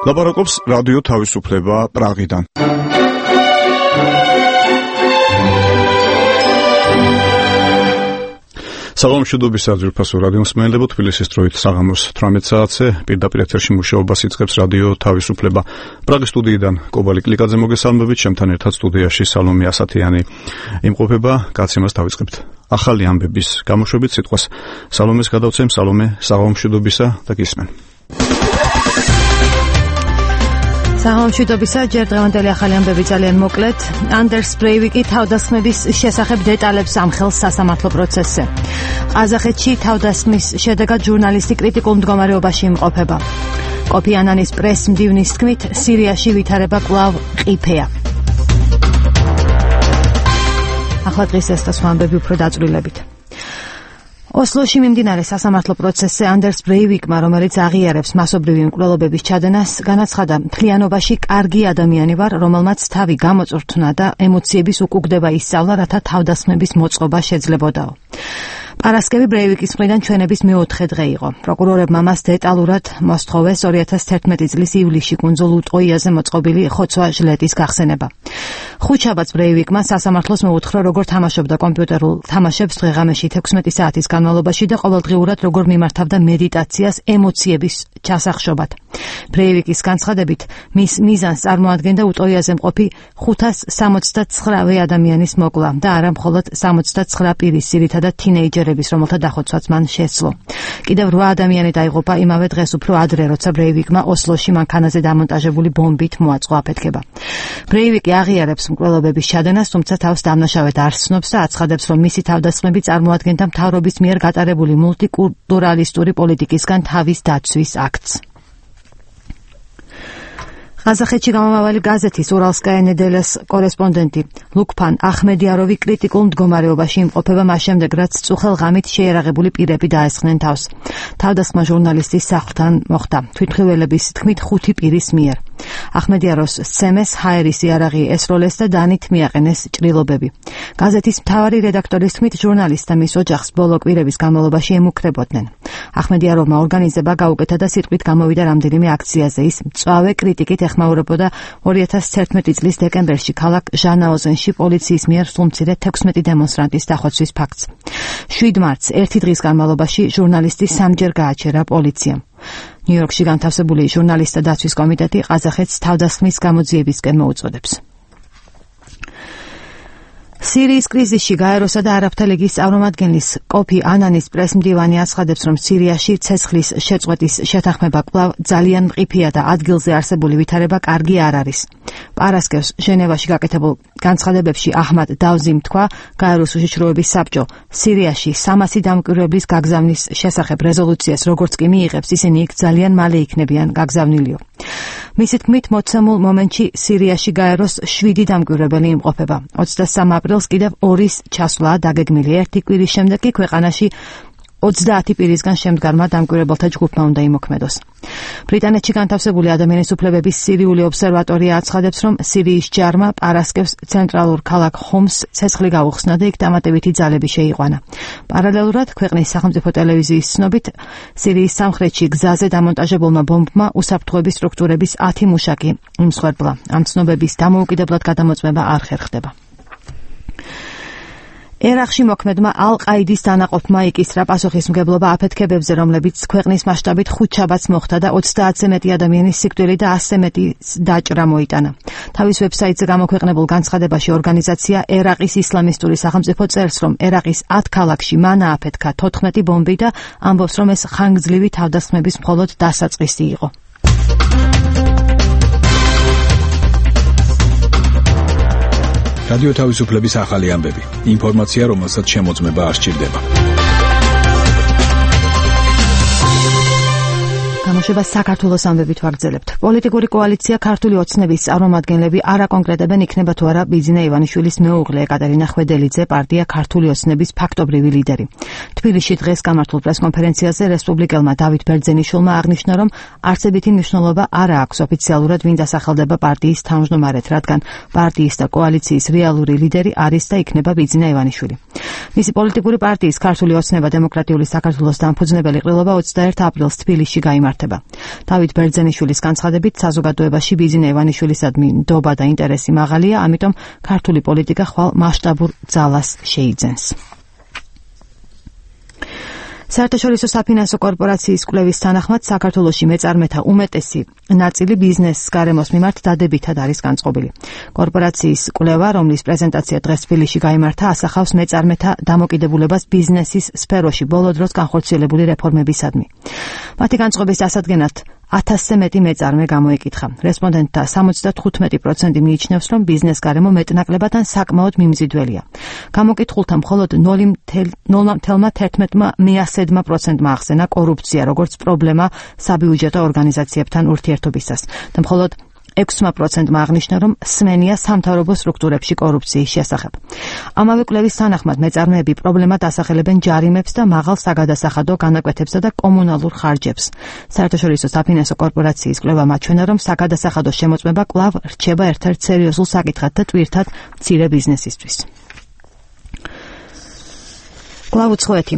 ლაპარაკობს რადიო თავისუფლება პრაღიდან. საღამოშიდობისა ძვირფასო რადიო მსმენელებო, თბილისის დროით საღამოს 18 საათზე პირდაპირ ეთერში მუშაობას იწყებს რადიო თავისუფლება. პრაღის სტუდიიდან კობალი კლიკაძე მოგესალმებით, ჩემთან ერთად სტუდიაში სალომე ასათიანი იმყოფება. გაცემას დავიწყებთ. ახალი ამბების გამოშვებით სიტყვას სალომეს გადავცემ. სალომე, საღამოშიდობისა და გისმენ. საღამოშიდობისა, ჯერ დღევანდელი ახალი ამბები ძალიან მოკლედ. ანდერს ბრეივიკი თავდასხმების შესახებ დეტალებს ამხელს სასამართლო პროცესზე. ყაზახეთში თავდასხმის შედეგად ჟურნალისტი კრიტიკულ მდგომარეობაში იმყოფება. კოფი ანანის პრეს-მდივნის თქმით, სირიაში ვითარება კვლავ ყიფეა. ახლა დღის ეს და სხვა ამბები უფრო დაწვრილებით. ოსლოში მიმდინარე სასამართლო პროცესზე ანდერს ბრეივიკმა, რომელიც აღიარებს მასობრივი მკვლელობების ჩადენას, განაცხადა, მთლიანობაში კარგი ადამიანი ვარ, რომელმაც თავი გამოწვრთნა და ემოციების უკუგდება ისწავლა, რათა თავდასხმების მოწყობა შეძლებოდაო. პარასკევი ბრეივიკის მხრიდან ჩვენების მეოთხე დღე იყო. პროკურორებმა მას დეტალურად მოსთხოვეს 2011 წლის ივლისში კუნძულ უტყოიაზე მოწყობილი ხოცვა ჟლეტის გახსენება. ხუთშაბათს ბრეივიკმა სასამართლოს მოუთხრო, როგორ თამაშობდა კომპიუტერულ თამაშებს დღეღამეში 16 საათის განმავლობაში და ყოველდღიურად როგორ მიმართავდა მედიტაციას ემოციების ჩასახშობად. ბრეივიკის განცხადებით, მის მიზანს წარმოადგენდა უტყოიაზე მყოფი 569 ადამიანის მოკლა და არა მხოლოდ 69 პირის, ძირითადად თინეიჯერების, რომელთა დახოცვაც მან შესძლო. კიდევ 8 ადამიანი დაიღუპა იმავე დღეს უფრო ადრე, როცა ბრეივიკმა ოსლოში მანქანაზე დამონტაჟებული ბომბით მოაწყო აფეთქება. ბრეივიკი აღიარებს მკვლელობების ჩადენას, თუმცა თავს დამნაშავედ არ ცნობს და აცხადებს, რომ მისი თავდასხმები წარმოადგენდა მთავრობის მიერ გატარებული მულტიკულტურალისტური პოლიტიკისგან თავის დაცვის აქტს. ყაზახეთში გამომავალი გაზეთის ურალსკაია ნედელას კორესპონდენტი ლუკფან ახმედიაროვი კრიტიკულ მდგომარეობაში იმყოფება მას შემდეგ, რაც წუხელ ღამით შეიარაღებული პირები დაესხნენ თავს. თავდასხმა ჟურნალისტის სახლთან მოხდა, თვითმხილველების თქმით 5 პირის მიერ. ახმედიაროს სცემეს ჰაერის იარაღი ესროლეს და დანით მიაყენეს ჭრილობები. გაზეთის მთავარი რედაქტორის თქმით, ჟურნალისტს და მის ოჯახს ბოლო კვირების განმავლობაში ემუქრებოდნენ. ახმედიაროვმა ორგანიზება გაუკეთა და სიტყვით გამოვიდა რამდენიმე აქციაზე. ის მწვავე კრიტიკით ეხმაურებოდა 2011 წლის დეკემბერში ქალაქ ჟანაოზენში პოლიციის მიერ სულმცირე 16 დემონსტრანტის დახოცვის ფაქტს. 7 მარტს ერთი დღის განმავლობაში ჟურნალისტი 3-ჯერ გააჩერა პოლიციამ. ნიუ-იორკში განთავსებული ჟურნალისტთა დაცვის კომიტეტი ყაზახეთს თავდასხმის გამოძიებისკენ მოუწოდებს. სირიის კრიზისში გაეროსა და არაბთა ლიგის წარმომადგენლის კოფი ანანის პრეს-მდივანი აცხადებს, რომ სირიაში ცეცხლის შეწყვეტის შეთანხმება კვლავ ძალიან მყიფეა და ადგილზე არსებული ვითარება კარგი არ არის. პარასკევს ჟენევაში გაკეთებულ განცხადებებში აჰმად დავზიმ თქვა, გაეროს უშიშროების საბჭო სირიაში 300 დამკვირვებლის გაგზავნის შესახებ რეზოლუციას როგორც კი მიიღებს, ისინი იქ ძალიან მალე იქნებიან გაგზავნილიო. მისი თქმით, მოცემულ მომენტში სირიაში გაეროს 7 დამკვირვებელი იმყოფება. 23 აპრილს კიდევ 2-ის ჩასვლაა დაგეგმილი. ერთი კვირის შემდეგ კი ქვეყანაში 30 პირისგან შემდგარმა დამკვირვებელთა ჯგუფმა უნდა იმოქმედოს. ბრიტანეთში განთავსებული ადამიანის უფლებების სირიული ობსერვატორია აცხადებს, რომ სირიის ჯარმა პარასკევს ცენტრალურ ქალაქ ხომს ცეცხლი გაუხსნა და იქ დამატებითი ძალები შეიყვანა. პარალელურად, ქვეყნის სახელმწიფო ტელევიზიის ცნობით, სირიის სამხრეთში გზაზე დამონტაჟებულმა ბომბმა უსაფრთხოების სტრუქტურების 10 მუშაკი იმსხვერპლა. ამ ცნობების დამოუკიდებლად გადამოწმება არ ხერხდება. ერაყში მოქმედმა ალ-ყაიდის დანაყოფმა იკისრა პასუხისმგებლობა აფეთქებებზე, რომლებიც ქვეყნის მასშტაბით ხუთშაბათს მოხდა და 30-ზე მეტი ადამიანის სიკვდილი და 100-ზე მეტი დაჭრა მოიტანა. თავის ვებსაიტზე გამოქვეყნებულ განცხადებაში ორგანიზაცია ერაყის ისლამისტური სახელმწიფო წერს, რომ ერაყის 10 ქალაქში მან ააფეთქა 14 ბომბი და ამბობს, რომ ეს ხანგრძლივი თავდასხმების მხოლოდ დასაწყისი იყო. რადიო თავისუფლების ახალი ამბები. ინფორმაცია, რომელსაც შემოწმება არ სჭირდება. გამოშვებას საქართველოს ამბებით ვაგრძელებთ. პოლიტიკური კოალიცია ქართული ოცნების წარმომადგენლები არ აკონკრეტებენ, იქნება თუ არა ბიძინა ივანიშვილის მეუღლე ეკატერინა ხვედელიძე პარტია ქართული ოცნების ფაქტობრივი ლიდერი. თბილისში დღეს გამართულ პრესკონფერენციაზე რესპუბლიკელმა დავით ბერძენიშვილმა აღნიშნა, რომ არცებითი მნიშვნელობა არ აქვს ოფიციალურად ვინ დასახელდება პარტიის თავმჯდომარედ, რადგან პარტიის და კოალიციის რეალური ლიდერი არის და იქნება ბიძინა ივანიშვილი. მისი პოლიტიკური პარტიის ქართული ოცნება დემოკრატიული საქართველოს დამფუძნებელი ყრილობა 21 აპრილს თბილისში გაიმართა. მიმართება. დავით ბერძენიშვილის განცხადებით, საზოგადოებაში ბიზნე ივანიშვილისადმი ნდობა და ინტერესი მაღალია, ამიტომ ქართული პოლიტიკა ხვალ მასშტაბურ ძალას შეიძენს. საერთაშორისო საფინანსო კორპორაციის კვლევის თანახმად საქართველოში მეწარმეთა უმეტესი ნაწილი ბიზნესს გარემოს მიმართ დადებითად არის განწყობილი. კორპორაციის კვლევა, რომლის პრეზენტაცია დღეს თბილისში გაიმართა, ასახავს მეწარმეთა დამოკიდებულებას ბიზნესის სფეროში ბოლო დროს განხორციელებული რეფორმებისადმი. მათი განწყობის დასადგენად 1000-ზე მეტი მეწარმე გამოეკითხა. რესპონდენტთა 75% მიიჩნევს, რომ ბიზნეს გარემო მეტნაკლებად ან საკმაოდ მიმზიდველია. გამოკითხულთა მხოლოდ 0.11% ახსენა კორუფცია, როგორც პრობლემა საბიუჯეტო ორგანიზაციებთან ურთიერთობისას და მხოლოდ 6% აღნიშნა, რომ სმენია სამთავრობო სტრუქტურებში კორუფციის შესახებ. ამავე კვლევის თანახმად მეწარმეები პრობლემად ასახელებენ ჯარიმებს და მაღალ საგადასახადო განაკვეთებსა და კომუნალურ ხარჯებს. საერთაშორისო საფინანსო კორპორაციის კვლევა მაჩვენა, რომ საგადასახადო შემოწმება კვლავ რჩება ერთ-ერთ სერიოზულ საკითხად და ტვირთად მცირე ბიზნესისთვის. კვლავ უცხოეთი.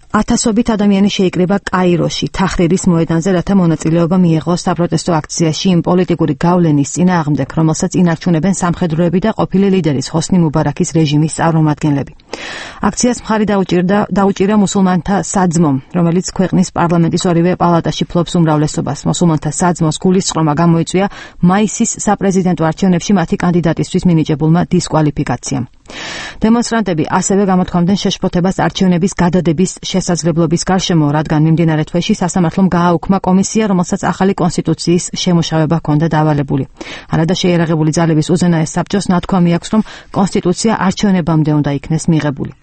ათასობით ადამიანი შეიკრიბა კაიროში, თაჰრირის მოედანზე, რათა მონაწილეობა მიეღოს საპროტესტო აქციაში იმ პოლიტიკური გავლენის წინააღმდეგ, რომელსაც ინარჩუნებენ სამხედროები და ყოფილი ლიდერის ჰოსნი მუბარაქის რეჟიმის წარმომადგენლები. აქციას მხარი დაუჭირა მუსულმანთა საძმომ, რომელიც ქვეყნის პარლამენტის ორივე პალატაში ფლობს უმრავლესობას. მუსულმანთა საძმოს გულისწყრომა გამოიწვია მაისის საპრეზიდენტო არჩევნებში მათი კანდიდატისთვის მინიჭებულმა დისკვალიფიკაციამ. დემონსტრანტები ასევე გამოთქვამდნენ შეშფოთებას არჩევნების გადადების შესაძლებლობის გარშემო, რადგან მიმდინარე თვეში სასამართლომ გააუქმა კომისია, რომელსაც ახალი კონსტიტუციის შემუშავება ჰქონდა დავალებული. არადა შეიარაღებული ძალების უზენაეს საბჭოს ნათქვამი აქვს, რომ კონსტიტუცია არჩევნებამდე უნდა იქნეს მიღებული.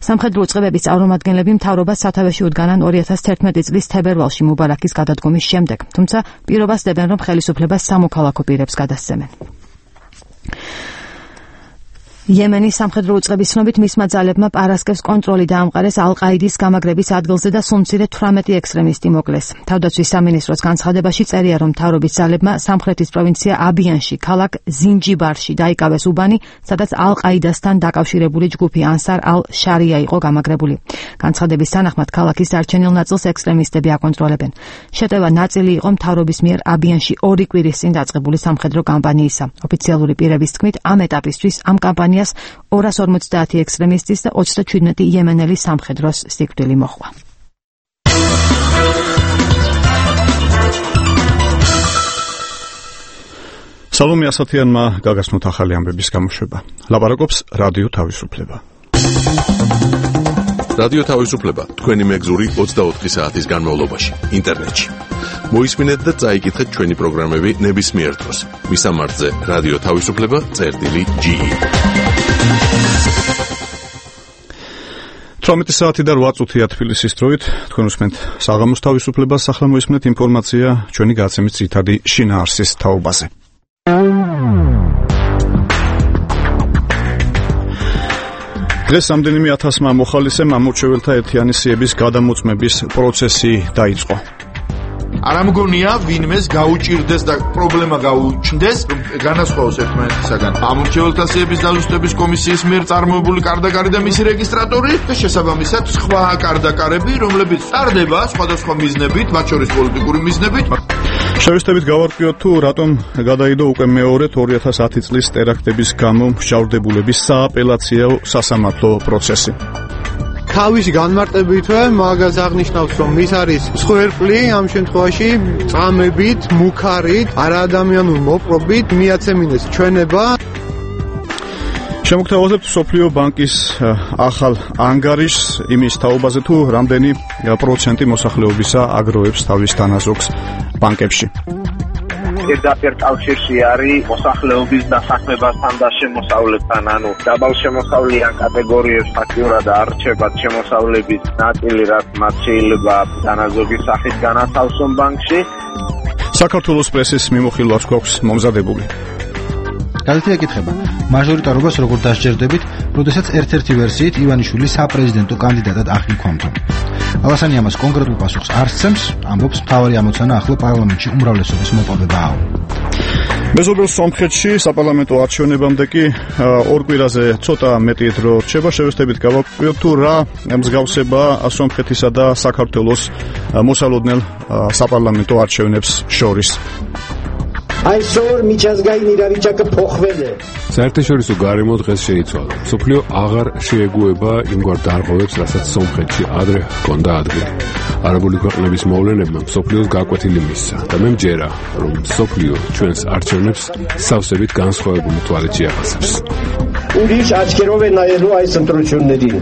სამხედრო უწყებების წარმომადგენლები მთავრობას სათავეში უდგანან 2011 წლის თებერვალში მუბარაქის გადადგომის შემდეგ, თუმცა პირობას დებენ, რომ ხელისუფლებას სამოქალაქო პირებს გადასცემენ. იემენის სამხედრო უწყების ცნობით მისმა ძალებმა პარასკევს კონტროლი დაამყარეს ალ-ყაიდის გამაგრების ადგილზე და სულ მცირე 18 ექსტრემისტი მოკლეს. თავდაცვის სამინისტროს განცხადებაში წერია, რომ მთავრობის ძალებმა სამხრეთის პროვინცია აბიანში, ქალაქ ზინჯიბარში დაიკავეს უბანი, სადაც ალ-ყაიდასთან დაკავშირებული ჯგუფი ანსარ ალ-შარია იყო გამაგრებული. განცხადების თანახმად ქალაქის დარჩენილ ნაწილს ექსტრემისტები აკონტროლებენ. შეტევა ნაწილი იყო მთავრობის მიერ აბიანში 2 კვირის წინ დაწყებული სამხედრო კამპანიისა. ოფიციალური პირების თქმით, ამ ეტაპისთვის ამ კამპანიას 250 ექსტრემისტის და 27 იემენელი სამხედროს სიკვდილი მოჰყვა. სალომე ასათიანმა გაგაცნოთ ახალი ამბების გამოშვება. ლაპარაკობს რადიო თავისუფლება. რადიო თავისუფლება თქვენი მეგზური 24 საათის განმავლობაში ინტერნეტში. მოისმინეთ და წაიკითხეთ ჩვენი პროგრამები ნებისმიერ დროს. მისამართზე რადიო თავისუფლება.ge 18 საათი და 8 წუთია თბილისის დროით. თქვენ უსმენთ საღამოს თავისუფლებას, ახლა მოისმენთ ინფორმაცია ჩვენი გადაცემის ძირითადი შინაარსის თაობაზე. დღეს რამდენიმე ათასმა მოხალისემ ამორჩეველთა ერთიანი სიების გადამოწმების პროცესი დაიწყო. არ ამგონია ვინმეს გაუჭირდეს და პრობლემა გაუჩნდეს, განასხვაოს ერთმანეთისაგან ამორჩეველთა სიების დაზუსტების კომისიის მიერ წარმოებული კარდაკარი და მისი რეგისტრატორი და შესაბამისად სხვა კარდაკარები, რომლებიც ტარდება სხვადასხვა მიზნებით, მათ შორის პოლიტიკური მიზნებით. შევეცდებით გავარკვიოთ თუ რატომ გადაიდო უკვე მეორედ 2010 წლის ტერაქტების გამო მსჯავრდებულების სააპელაციო სასამართლო პროცესი. თავის განმარტებითვე მაგას აღნიშნავს, რომ ის არის მსხვერპლი ამ შემთხვევაში წამებით, მუქარით, არაადამიანურ მოპყრობით მიაცემინეს ჩვენება. შემოგთავაზებთ სოფლიო ბანკის ახალ ანგარიშს იმის თაობაზე თუ რამდენი პროცენტი მოსახლეობისა აგროვებს თავის დანაზოგს ბანკებში. პირდაპირ კავშირში არის მოსახლეობის დასაქმებასთან და შემოსავლებთან, ანუ დაბალ შემოსავლიან კატეგორიებს ფაქტიურად არჩევათ შემოსავლების ნაწილი, რაც მათ შეიძლება დანაზოგის სახით განათავსონ ბანკში. საქართველოს პრესის მიმოხილვაც გვაქვს მომზადებული. გაზეთი ეკითხება, მაჟორიტარობას როგორ დასჯერდებით, როდესაც ერთ-ერთი ვერსიით ივანიშვილი საპრეზიდენტო კანდიდატად აღიქვამთო. ალასანი ამას კონკრეტულ პასუხს არ სცემს, ამბობს მთავარი ამოცანა ახლო პარლამენტში უმრავლესობის მოპოვებაა. მეზობელ სომხეთში საპარლამენტო არჩევნებამდე კი ორ კვირაზე ცოტა მეტი დრო რჩება. შევეცდებით გავაკვირდეთ თუ რა მსგავსება სომხეთისა და საქართველოს მოსალოდნელ საპარლამენტო არჩევნებს შორის. այսօր միջազգային իրավիճակը փոխվել է. საერთაშორისო გარემო დღეს შეიცვალა. მსოფლიო აღარ შეეგუება იმგვარ დარღვევებს, რასაც სომხეთში ადრე ჰქონდა ადგილი. არაბული ქვეყნების მოვლენებმა მსოფლიოს გაკვეთილი მისცა და მე მჯერა, რომ მსოფლიო ჩვენს არჩევნებს სავსებით განსხვავებული თვალით შეახასებს. ուրիշ աչքերով է նայելու այս ընտրություններին.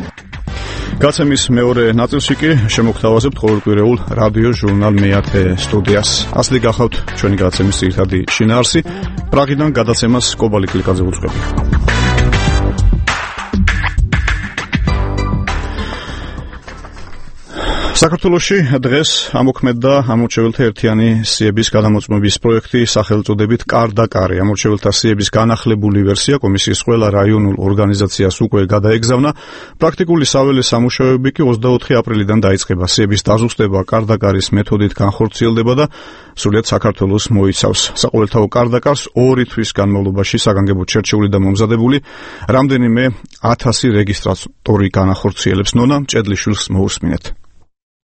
გაცემის მეორე ნაწილში კი შემოგთავაზებთ ყოველკვირეულ რადიო ჟურნალ მეათე სტუდიას. ასეთი გახავთ ჩვენი გაცემის ძირითადი შინაარსი. პრაღიდან გადაცემას კობალი კლიკაძე უძღვები. საქართველოში დღეს ამოქმედდა ამორჩეველთა ერთიანი სიების გადამოწმების პროექტი სახელწოდებით კარ-და-კარი. ამორჩეველთა სიების განახლებული ვერსია კომისიის ყველა რაიონულ ორგანიზაციას უკვე გადაეგზავნა. პრაქტიკული საველე სამუშაოები კი 24 აპრილიდან დაიწყება. სიების დაზუსტება კარ-და-კარის მეთოდით განხორციელდება და სრულიად საქართველოს მოიცავს. საყოველთაო კარ-და-კარს 2 თვის განმავლობაში საგანგებოდ შერჩეული და მომზადებული რამდენიმე 1000 რეგისტრატორი განახორციელებს. ნონა მჭედლიშვილს მოусმინეთ.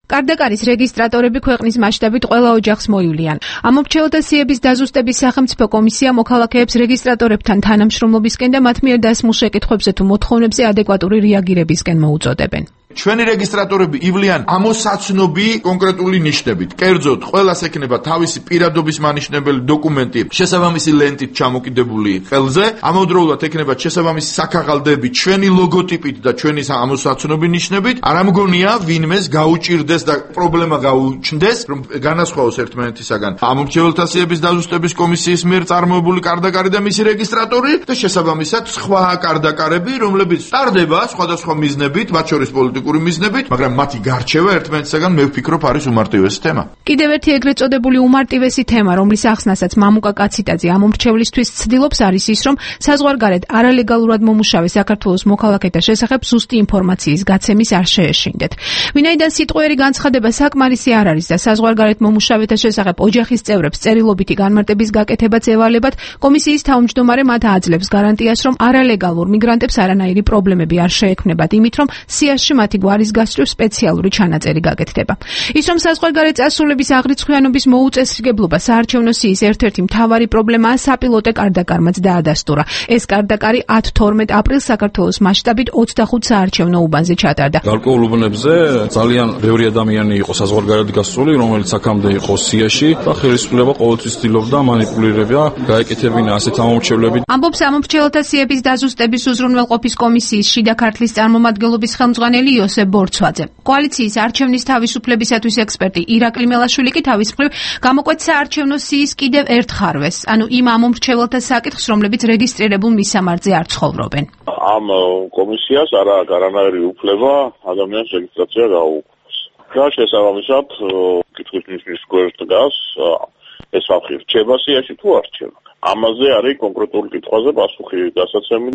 კარ-და-კარის რეგისტრატორები ქვეყნის მასშტაბით ყველა ოჯახს მოივლიან. ამორჩეველთა სიების დაზუსტების სახელმწიფო კომისია მოქალაქეებს რეგისტრატორებთან თანამშრომლობისკენ და მათ მიერ დასმულ შეკითხვებზე თუ მოთხოვნებზე ადეკვატური რეაგირებისკენ მოუწოდებენ. ჩვენი რეგისტრატორები ივლიან ამოსაცნობი კონკრეტული ნიშნებით. კერძოდ, ყველას ექნება თავისი პირადობის მანიშნებელი დოკუმენტი შესაბამისი ლენტით ჩამოკიდებული ხელზე, ამავდროულად ექნება შესაბამისი საქაღალდები ჩვენი ლოგოტიპით და ჩვენი ამოსაცნობი ნიშნებით. არ ამგონია ვინმეს გაუჭირდეს და პრობლემა გაუჩნდეს, რომ განასხვაოს ერთმანეთისაგან ამორჩეველთა სიების დაზუსტების კომისიის მიერ წარმოებული კარ-და-კარი და მისი რეგისტრატორი და შესაბამისად სხვა კარ-და-კარები, რომლებიც ტარდება სხვადასხვა მიზნებით, მათ შორის პოლიტიკური მიზნებით, მაგრამ მათი გარჩევა ერთმანეთისაგან მე ვფიქრობ არის უმარტივესი თემა. კიდევ ერთი ეგრეთ წოდებული უმარტივესი თემა, რომლის ახსნასაც მამუკა კაციტაძე ამორჩევლისთვის ცდილობს, არის ის, რომ საზღვარგარეთ არალეგალურად მომუშავე საქართველოს მოქალაქეთა შესახებ ზუსტი ინფორმაციის გაცემის არ შეეშინდეთ. ვინაიდან სიტყვიერი განცხადება საკმარისი არ არის და საზღვარგარეთ მომუშავეთა შესახებ ოჯახის წევრებს წერილობითი განმარტების გაკეთებაც ევალებათ, კომისიის თავმჯდომარე მათ აძლევს გარანტიას, რომ არალეგალურ მიგრანტებს არანაირი პრობლემები არ შეექმნებათ, იმით რომ სიაში მათი გვარის გასწვრივ სპეციალური ჩანაწერი გაკეთდება. ის რომ საზღვარგარეთ წასულების აღრიცხვიანობის მოუწესრიგებლობა საარჩევნო სიის ერთ-ერთი მთავარი პრობლემაა, საპილოტე კარ-და-კარმაც დაადასტურა. ეს კარ-და-კარი 10-12 აპრილს საქართველოს მასშტაბით 25 საარჩევნო უბანზე ჩატარდა. გარკვეულ უბნებზე ძალიან ბევრი ადამიანი იყო საზღვარგარეთ გასული, რომელიც აქამდე იყო სიაში და ხელისუფლება ყოველთვის ცდილობდა მანიპულირება, გაეკეთებინა ასეთ ამორჩევლები. ამბობს ამორჩეველთა სიების დაზუსტების უზრუნველყოფის კომისიის შიდა ქართლის წარმომადგენლობის ხელმძღვანელი იოსებ ბორცვაძე. კოალიციის არჩევნის თავისუფლებისათვის ექსპერტი ირაკლი მელაშვილი კი თავის მხრივ გამოკვეთ საარჩევნო სიის კიდევ ერთ ხარვეს, ანუ იმ ამორჩეველთა საკითხს, რომლებიც რეგისტრირებულ მისამართზე არ ცხოვრობენ. ამ კომისიას არ აქვს არანაირი უფლება ადამიანის რეგისტრაცია გაუქმოს. და შესაბამისად, კითხვის ნიშნის გვერდს დგას, ეს ხალხი რჩება სიაში თუ არ რჩება. ამაზე არის კონკრეტული კითხვაზე პასუხი დასაცემი.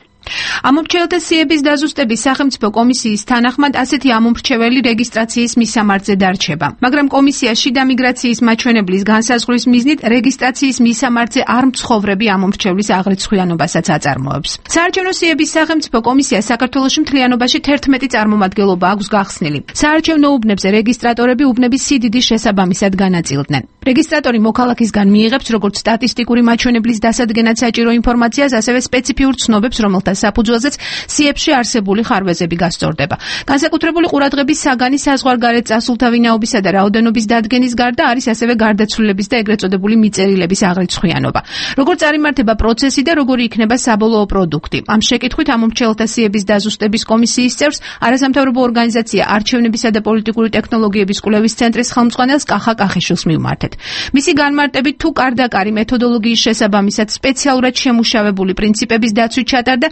ამორჩეველთა სიების დაზუსტების სახელმწიფო კომისიის თანახმად ასეთი ამორჩეველი რეგისტრაციის მისამართზე დარჩება, მაგრამ კომისია შიდა მიგრაციის მაჩვენებლის განსაზღვრის მიზნით რეგისტრაციის მისამართზე არ მცხოვრები ამორჩევლის აღრიცხვიანობასაც აწარმოებს. საარჩევნო სიების სახელმწიფო კომისია საქართველოში მთლიანობაში 11 წარმომადგენლობა აქვს გახსნილი. საარჩევნო უბნებზე რეგისტრატორები უბნების სიდიდის შესაბამისად განაწილდნენ. რეგისტრატორი მოქალაქისგან მიიღებს როგორც სტატისტიკური მაჩვენებლის დასადგენად საჭირო ინფორმაციას, ასევე სპეციფიურ ცნობებს, რომელთა საფუძველზეც სიებში არსებული ხარვეზები გასწორდება. განსაკუთრებული ყურადღების საგანი საზღვარგარეთ წასულთა ვინაობისა და რაოდენობის დადგენის გარდა არის ასევე გარდაცვლილების და ეგრეთ წოდებული მიწერილების აღრიცხვიანობა. როგორ წარიმართება პროცესი და როგორი იქნება საბოლოო პროდუქტი. ამ შეკითხვით ამორჩეველთა სიების დაზუსტების კომისიის წევრს არასამთავრობო ორგანიზაცია არჩევნებისა და პოლიტიკური ტექნოლოგიების კვლევის ცენტრის ხელმძღვანელს კახა კახიშვილს მივმართეთ. მისი განმარტებით, თუ კარ-და-კარი მეთოდოლოგიის შესაბამისად სპეციალურად შემუშავებული პრინციპების დაცვით ჩატარდა,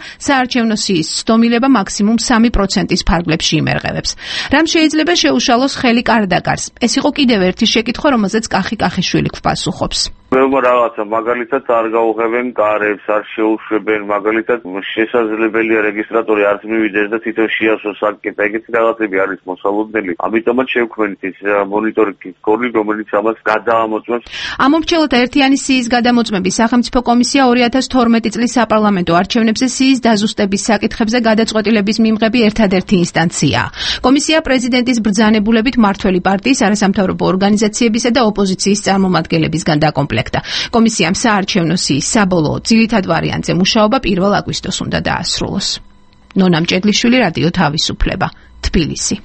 საარჩევნო სიის ცდომილება მაქსიმუმ 3%-ის ფარგლებში იმერყევებს. რამ შეიძლება შეუშალოს ხელი კარდაკარს? ეს იყო კიდევ ერთი შეკითხვა, რომელზეც კახი-კახიშვილი გვპასუხობს. ბევრი რაღაცა, მაგალითად არ გაუღებენ კარებს, არ შეუშვებენ, მაგალითად შესაძლებელია რეგისტრატორი არც მივიდეს და თვითონ შეასვას საკითხი, ეგეთი რაღაცები არის მოსალოდნელი. ამიტომაც შევქმნით ის მონიტორინგის გოლი, რომელიც ამას გადაამოწმებს. ამომრჩევლთა ერთიანი სიის გადამოწმების სახელმწიფო კომისია 2012 წლის საპარლამენტო არჩევნებზე სიის დაზუსტების საკითხებზე გადაწყვეტილების მიღების ერთადერთი ინსტანციაა. კომისია პრეზიდენტის ბრძანებულებით მმართველი პარტიის, არასამთავრობო ორგანიზაციებისა და ოპოზიციის წარმომადგენლებისგან დაკომპლექტდა. კომისიამ საარჩევნო სიის საბოლოო ძირითად ვარიანტზე მუშაობა 1 აგვისტოს უნდა დაასრულოს. ნონა მჭედლიშვილი, რადიო თავისუფლება, თბილისი.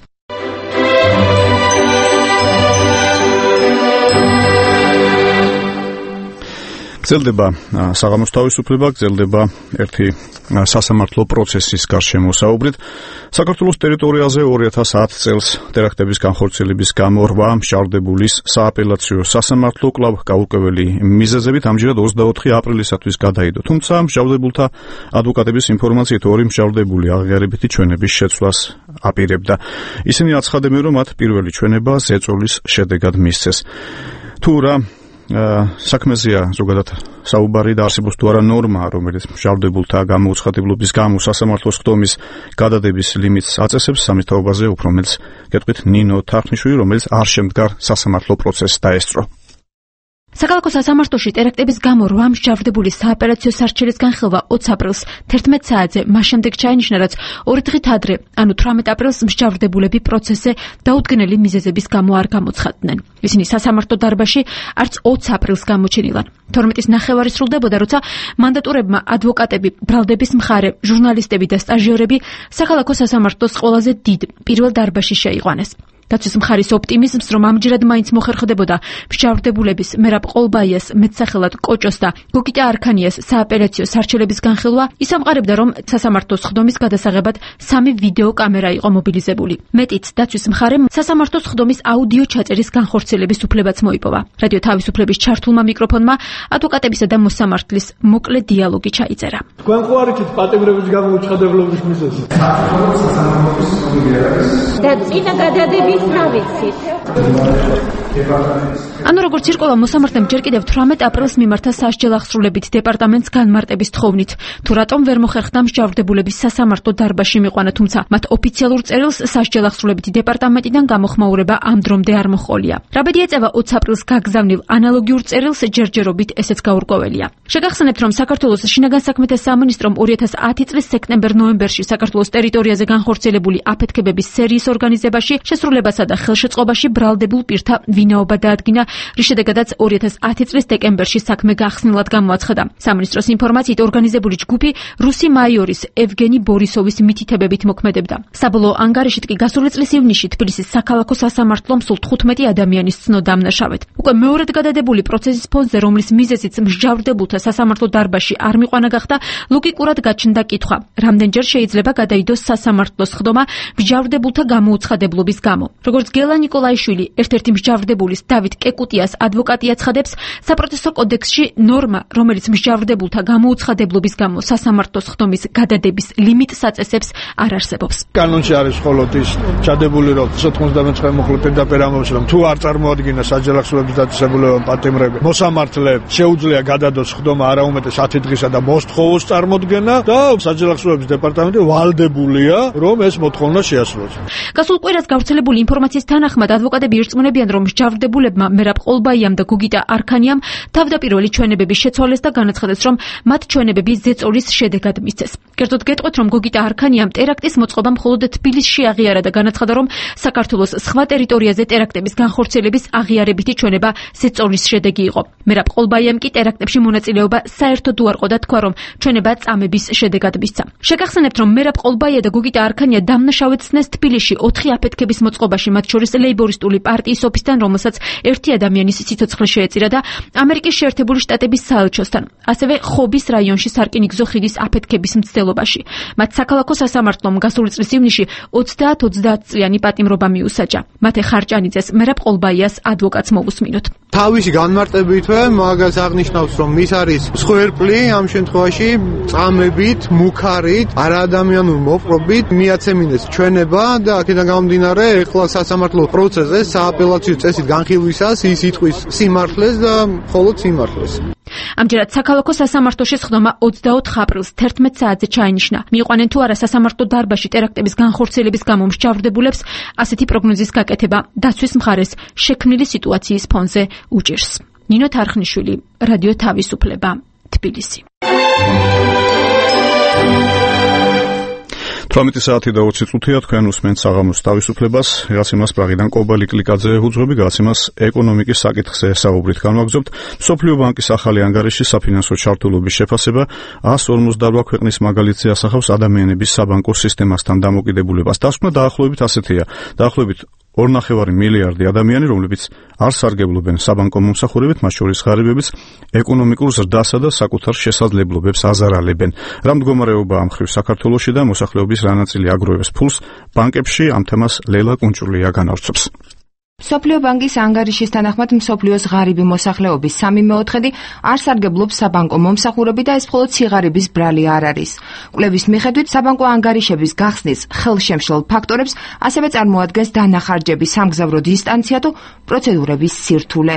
გრძელდება საღამოს თავისუფლება, გრძელდება ერთი სასამართლო პროცესის გარშემო საუბრით. საქართველოს ტერიტორიაზე 2010 წელს ტერაქტების განხორციელების გამო 8 მშავდებულის სააპელაციო სასამართლო კვლავ გაურკვეველი მიზეზებით ამჯერად 24 აპრილისათვის გადაიდო. თუმცა მშავდებულთა ადვოკატების ინფორმაციით 2 მშავდებული აღიარებითი ჩვენების შეცვლას აპირებდა. ისინი აცხადებენ, რომ მათ პირველი ჩვენება ზეწოლის შედეგად მისცეს. თუ რა საქმეზეა ზოგადად საუბარი და არსებობს თუ არა ნორმა, რომელიც მშავდებულთა გამოუცხადებლობის გამო სასამართლოს ხდომის გადადების ლიმიტს აწესებს, ამის თაობაზე უფრო მეტს გეტყვით ნინო თარხნიშვილი, რომელიც არ შემდგარ სასამართლო პროცესს დაესწრო. საკალათო სასამართლოში ტერაქტების გამო 8 მშავდებულის საოპერაციო სარჩელის განხილვა 20 აპრილს 11 საათზე მას შემდეგ ჩაინიშნა, რაც 2 დღით ადრე, ანუ 18 აპრილს მშავდებულები პროცესზე დაუდგენელი მიზეზების გამო არ გამოცხადდნენ. ისინი სასამართლო დარბაზში არც 20 აპრილს გამოჩენილან. 12-ის ნახევარი სრულდებოდა, როცა მანდატურებმა ადვოკატები, ბრალდების მხარე, ჟურნალისტები და სტაჟიორები საკალათო სასამართლოს ყველაზე დიდ პირველ დარბაზში შეიყვანეს. დაცვის მხარის ოპტიმიზმს, რომ ამჯერად მაინც მოხერხდებოდა მშავდებულების მერაბ ყოლბაიას, მეტსახელად კოჭოს და გოგიტა არქანიას სააპელაციო სარჩელების განხილვა, ის ამყარებდა, რომ სასამართლოს ხდომის გადასაღებად 3 ვიდეო კამერა იყო მობილიზებული. მეტიც, დაცვის მხარემ სასამართლოს ხდომის აუდიო ჩაწერის განხორციელების უფლებაც მოიპოვა. რადიო თავისუფლების ჩართულმა მიკროფონმა ადვოკატებისა და მოსამართლის მოკლე დიალოგი ჩაიწერა. თქვენ ხო არ იცით პატიმრების გამოუცხადებლობის მიზეზი? და წინა გადადების ანუ როგორც ირკვევა, მოსამართლემ ჯერ კიდევ 18 აპრილს მიმართა სასჯელ აღსრულებით დეპარტამენტს განმარტების თხოვნით, თუ რატომ ვერ მოხერხდა მშავდებულების სასამართლო დარბაზში მიყვანა, თუმცა მათ ოფიციალურ წერილს სასჯელ აღსრულებითი დეპარტამენტიდან გამოხმაურება ამ დრომდე არ მოჰყოლია. რაბედი ეწევა 20 აპრილს გაგზავნილ ანალოგიურ წერილს ჯერჯერობით ესეც გაურკვეველია. შეგახსენებთ, რომ საქართველოს შინაგან საქმეთა სამინისტრომ 2010 წლის სექტემბერ-ნოემბერში საქართველოს ტერიტორიაზე განხორციელებული აფეთქებების სერიის ორგანიზებაში შესრულებასა და ხელშეწყობაში ბრალდებულ პირთა ვინაობა დაადგინა, რის შედეგადაც 2010 წლის დეკემბერში საქმე გახსნილად გამოაცხადა. სამინისტროს ინფორმაციით ორგანიზებული ჯგუფი რუსი მაიორის ევგენი ბორისოვის მითითებებით მოქმედებდა. საბოლოო ანგარიშით კი გასული წლის ივნისში თბილისის საქალაქო სასამართლომ სულ 15 ადამიანის ცნო დამნაშავედ. უკვე მეორედ გადადებული პროცესის ფონზე, რომლის მიზეზიც მჟავრდებულთა სასამართლო დარბაზში არ მიყვანა გახდა, ლოგიკურად გაჩნდა კითხვა, რამდენჯერ შეიძლება გადაიდოს სასამართლოს ხდომა მჟავრდებულთა გამოუცხადებლობის გამო. როგორც გელა ნიკოლაიშვილი, ერთ-ერთი მჟავრდებულის დავით კეკუტიას ადვოკატი აცხადებს, საპროცესო კოდექსში ნორმა, რომელიც მჟავრდებულთა გამოუცხადებლობის გამო სასამართლოს ხდომის გადადების ლიმიტს აწესებს, არ არსებობს. კანონში არის მხოლოდ ის ჩადებული, რომ 99 მოხლე პირდაპირ ამბობს, რომ თუ არ წარმოადგინა სასჯელ აღსრულების დაწესებულება პატიმრები, მოსამართლე შეუძლია გადადოს ხდომა არაუმეტეს 10 დღისა და მოსთხოვოს წარმოდგენა და სასჯელ აღსრულების დეპარტამენტი ვალდებულია, რომ ეს მოთხოვნა შეასრულოს. გასულ კვირას გავრცელებული ინფორმაციის თანახმად ადვოკატები ირწმუნებიან, რომ მჟავრდებულებმა მერაბ ყოლბაიამ და გოგიტა არქანიამ თავდაპირველი ჩვენებების შეცვალეს და განაცხადეს, რომ მათ ჩვენებები ზეწოლის შედეგად მისცეს. კერძოდ გეტყვით, რომ გოგიტა არქანიამ ტერაქტის მოწყობა მხოლოდ თბილისში აღიარა და განაცხადა, რომ საქართველოს სხვა ტერიტორიაზე ტერაქტების განხორციელების აღიარებითი ჩვენება ზეწოლის შედეგი იყო. მერაბ ყოლბაიამ კი ტერაქტებში მონაწილეობა საერთოდ უარყო და თქვა, რომ ჩვენება წამების შედეგად მისცა. შეგახსენებთ, რომ მერაბ ყოლბაია და გოგიტა არქანია დამნაშავედ ცნეს თბილისში 4 აფეთქების მოწყობაში, მათ შორის ლეიბორისტული პარტიის ოფისთან, რომელსაც ერთი ადამიანის სიცოცხლე შეეწირა და ამერიკის შეერთებული შტატების საელჩოსთან, ასევე ხობის რაიონში სარკინიგზო ხიდის აფეთქების მცდელობაში. მათ საქალაქო სასამართლომ გასული წლის ივნისში 30-30 წლიანი პატიმრობა მიუსაჯა. მათე ხარჭანიძეს, მერაბ ყოლბაიას ადვოკატს მოვუსმინოთ. თავისი განმარტებითვე მაგას აღნიშნავს, რომ ის არის მსხვერპლი ამ შემთხვევაში წამებით, მუქარით, არაადამიანურ მოპყრობით მიაცემინეს ჩვენება და აქედან გამომდინარე ეხლა სასამართლო პროცესზე სააპელაციო წესით განხილვისას ის იტყვის სიმართლეს და მხოლოდ სიმართლეს. ამჯერად საქალაქო სასამართლოში სხდომა 24 აპრილს 11 საათზე ჩაინიშნა. მიიყვანენ თუ არა სასამართლო დარბაზში ტერაქტების განხორციელების გამო მსჯავრდებულებს ასეთი პროგნოზის გაკეთება დაცვის მხარეს შექმნილი სიტუაციის ფონზე უჭირს. ნინო თარხნიშვილი, რადიო თავისუფლება, თბილისი. 18 საათი და 20 წუთია თქვენ უსმენთ საღამოს თავისუფლებას. რაღაც იმას პრაღიდან კობალი კლიკაძე უძღვები, რაღაც იმას ეკონომიკის საკითხზე საუბრით განვაგრძობთ. მსოფლიო ბანკის ახალი ანგარიში საფინანსო ჩართულობის შეფასება 158 ქვეყნის მაგალითზე ასახავს ადამიანების საბანკო სისტემასთან დამოკიდებულებას. დასკვნა დაახლოებით ასეთია. დაახლოებით 2.5 მილიარდი ადამიანი, რომლებიც არ სარგებლობენ საბანკო მომსახურებით, მათ შორის ღარიბებიც ეკონომიკურ ზრდასა და საკუთარ შესაძლებლობებს აზარალებენ. რა მდგომარეობა ამ მხრივ საქართველოში და მოსახლეობის რა ნაწილი აგროვებს ფულს ბანკებში, ამ თემას ლელა კუნჭულია განავრცობს. მსოფლიო ბანკის ანგარიშის თანახმად მსოფლიოს ღარიბი მოსახლეობის 3/4 არ სარგებლობს საბანკო მომსახურებით და ეს მხოლოდ სიღარიბის ბრალი არ არის. კვლევის მიხედვით საბანკო ანგარიშების გახსნის ხელშემშლელ ფაქტორებს ასევე წარმოადგენს დანახარჯების სამგზავრო დისტანცია თუ პროცედურების სირთულე.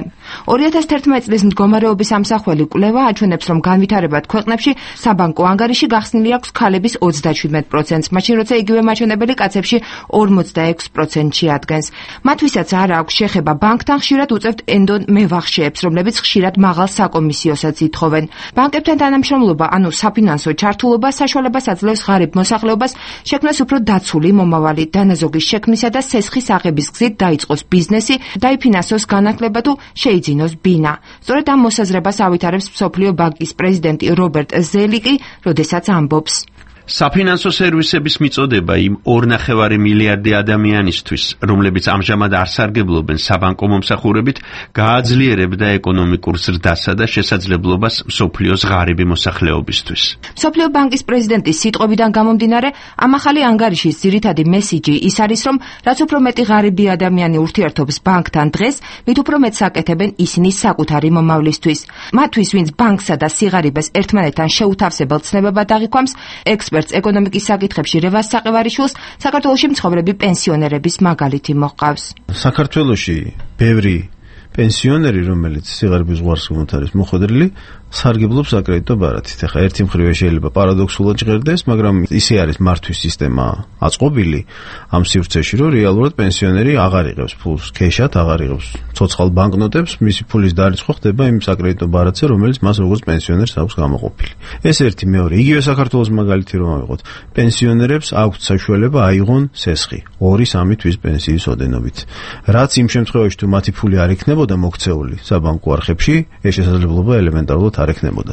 2011 წლის მდგომარეობის ამსახველი კვლევა აჩვენებს, რომ განვითარებად ქვეყნებში საბანკო ანგარიში გახსნილი აქვს ქალების 37%-ს, მაშინ როცა იგივე მაჩვენებელი კაცებში 46%-ში ადგენს. მათვისაც არ აქვს შეხება ბანკთან, ხშირად უწევთ ენდონ მევახშეებს, რომლებიც ხშირად მაღალ საკომისიოსაც ითხოვენ. ბანკებთან თანამშრომლობა, ანუ საფინანსო ჩართულობა საშუალებას აძლევს ღარიბ მოსახლეობას შექმნას უფრო დაცული მომავალი, დანაზოგის შექმნისა და სესხის აღების გზით დაიწყოს ბიზნესი, დაიფინანსოს განათლება თუ შეიძინოს ბინა. სწორედ ამ მოსაზრებას ავითარებს მსოფლიო ბანკის პრეზიდენტი რობერტ ზელიკი, როდესაც ამბობს: საფინანსო სერვისების მიწოდება იმ 2.5 მილიარდი ადამიანისთვის, რომლებიც ამჟამად არ სარგებლობენ საბანკო მომსახურებით, გააძლიერებდა ეკონომიკურ ზრდასა და შესაძლებლობას მსოფლიოს ღარიბი მოსახლეობისთვის. მსოფლიო ბანკის პრეზიდენტის სიტყვებიდან გამომდინარე, ამ ახალი ანგარიშის ძირითადი მესიჯი ის არის, რომ რაც უფრო მეტი ღარიბი ადამიანი ურთიერთობს ბანკთან დღეს, მით უფრო მეტს აკეთებენ ისინი საკუთარი მომავლისთვის. მათთვის, ვინც ბანკსა და სიღარიბეს ერთმანეთთან შეუთავსებელ ცნებებად აღიქვამს, ეკონომიკის საკითხებში რევას საყევარიშვილს საქართველოში მცხოვრები პენსიონერების მაგალითი მოჰყავს. საქართველოში ბევრი პენსიონერი, რომელიც სიღარიბის ზღვარს არის მოხვედრილი, სარგებლობს აკრედიტო ბარათით. ახლა ერთი მხრივ შეიძლება პარადოქსულად ჟღერდეს, მაგრამ ისე არის მართვის სისტემა აწყობილი ამ სივრცეში, რომ რეალურად პენსიონერი აღარ იღებს ფულს ქეშად, აღარ იღებს ცოცხალ ბანკნოტებს, მისი ფულის დარიცხვა ხდება იმ საკრედიტო ბარათზე, რომელიც მას როგორც პენსიონერს აქვს გამოყოფილი. ეს ერთი, მეორე, იგივე საქართველოს მაგალითი რომ ავიღოთ, პენსიონერებს აქვთ საშუალება აიღონ სესხი 2-3 თვის პენსიის ოდენობით. რაც იმ შემთხვევაში თუ მათი ფული არ იქნებოდა მოქცეული საბანკო არხებში, ეს შესაძლებლობა ელემენტარულად არ ექნებოდა.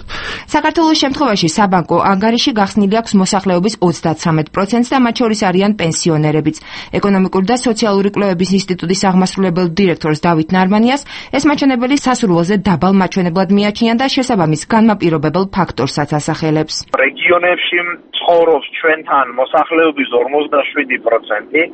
საქართველოს შემთხვევაში საბანკო ანგარიში გახსნილი აქვს მოსახლეობის 33%-ს და მათ შორის არიან პენსიონერებიც. ეკონომიკური და სოციალური კვლევების ინსტიტუტის აღმასრულებელ დირექტორს დავით ნარმანიას ეს მაჩვენებელი სასურველზე დაბალ მაჩვენებლად მიაჩნია და შესაბამის განმაპირობებელ ფაქტორსაც ასახელებს. რეგიონებში ცხოვრობს ჩვენთან მოსახლეობის 47%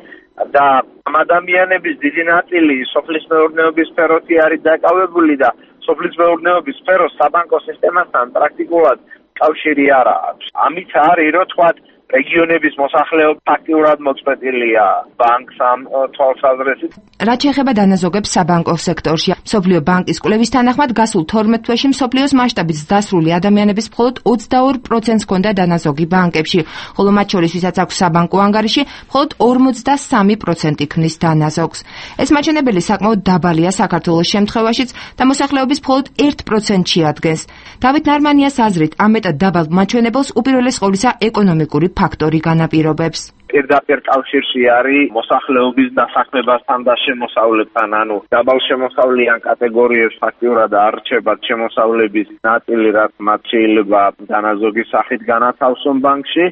და ამ ადამიანების დიდი ნაწილი სოფლის მეურნეობის სფეროში არის დაკავებული და სოფლის მეურნეობის სფეროს საბანკო სისტემასთან პრაქტიკულად კავშირი არ აქვს. ამით არის, რომ თქვათ, რეგიონების მოსახლეობა ფაქტიურად მოწყვეტილია ბანკს ამ თვალსაზრისით. რაც შეეხება დანაზოგებს საბანკო სექტორში, მსოფლიო ბანკის კვლევის თანახმად გასულ 12 თვეში მსოფლიოს მასშტაბით დასრული ადამიანების მხოლოდ 22%-ს ჰქონდა დანაზოგი ბანკებში, ხოლო მათ შორის, ვისაც აქვს საბანკო ანგარიში, მხოლოდ 53% ქმნის დანაზოგს. ეს მაჩვენებელი საკმაოდ დაბალია საქართველოს შემთხვევაშიც და მოსახლეობის მხოლოდ 1%-ში ადგენს. დავით ნარმანიას აზრით, ამ მეტად დაბალ მაჩვენებელს უპირველეს ყოვლისა ეკონომიკური ფაქტორი განაპირობებს. პირდაპირ კავშირში არის მოსახლეობის დასაქმებასთან და შემოსავლებთან, ანუ დაბალშემოსავლიან კატეგორიებს ფაქტიურად არ რჩებათ შემოსავლების ნაწილი, რაც მათ შეიძლება დანაზოგის სახით განათავსონ ბანკში.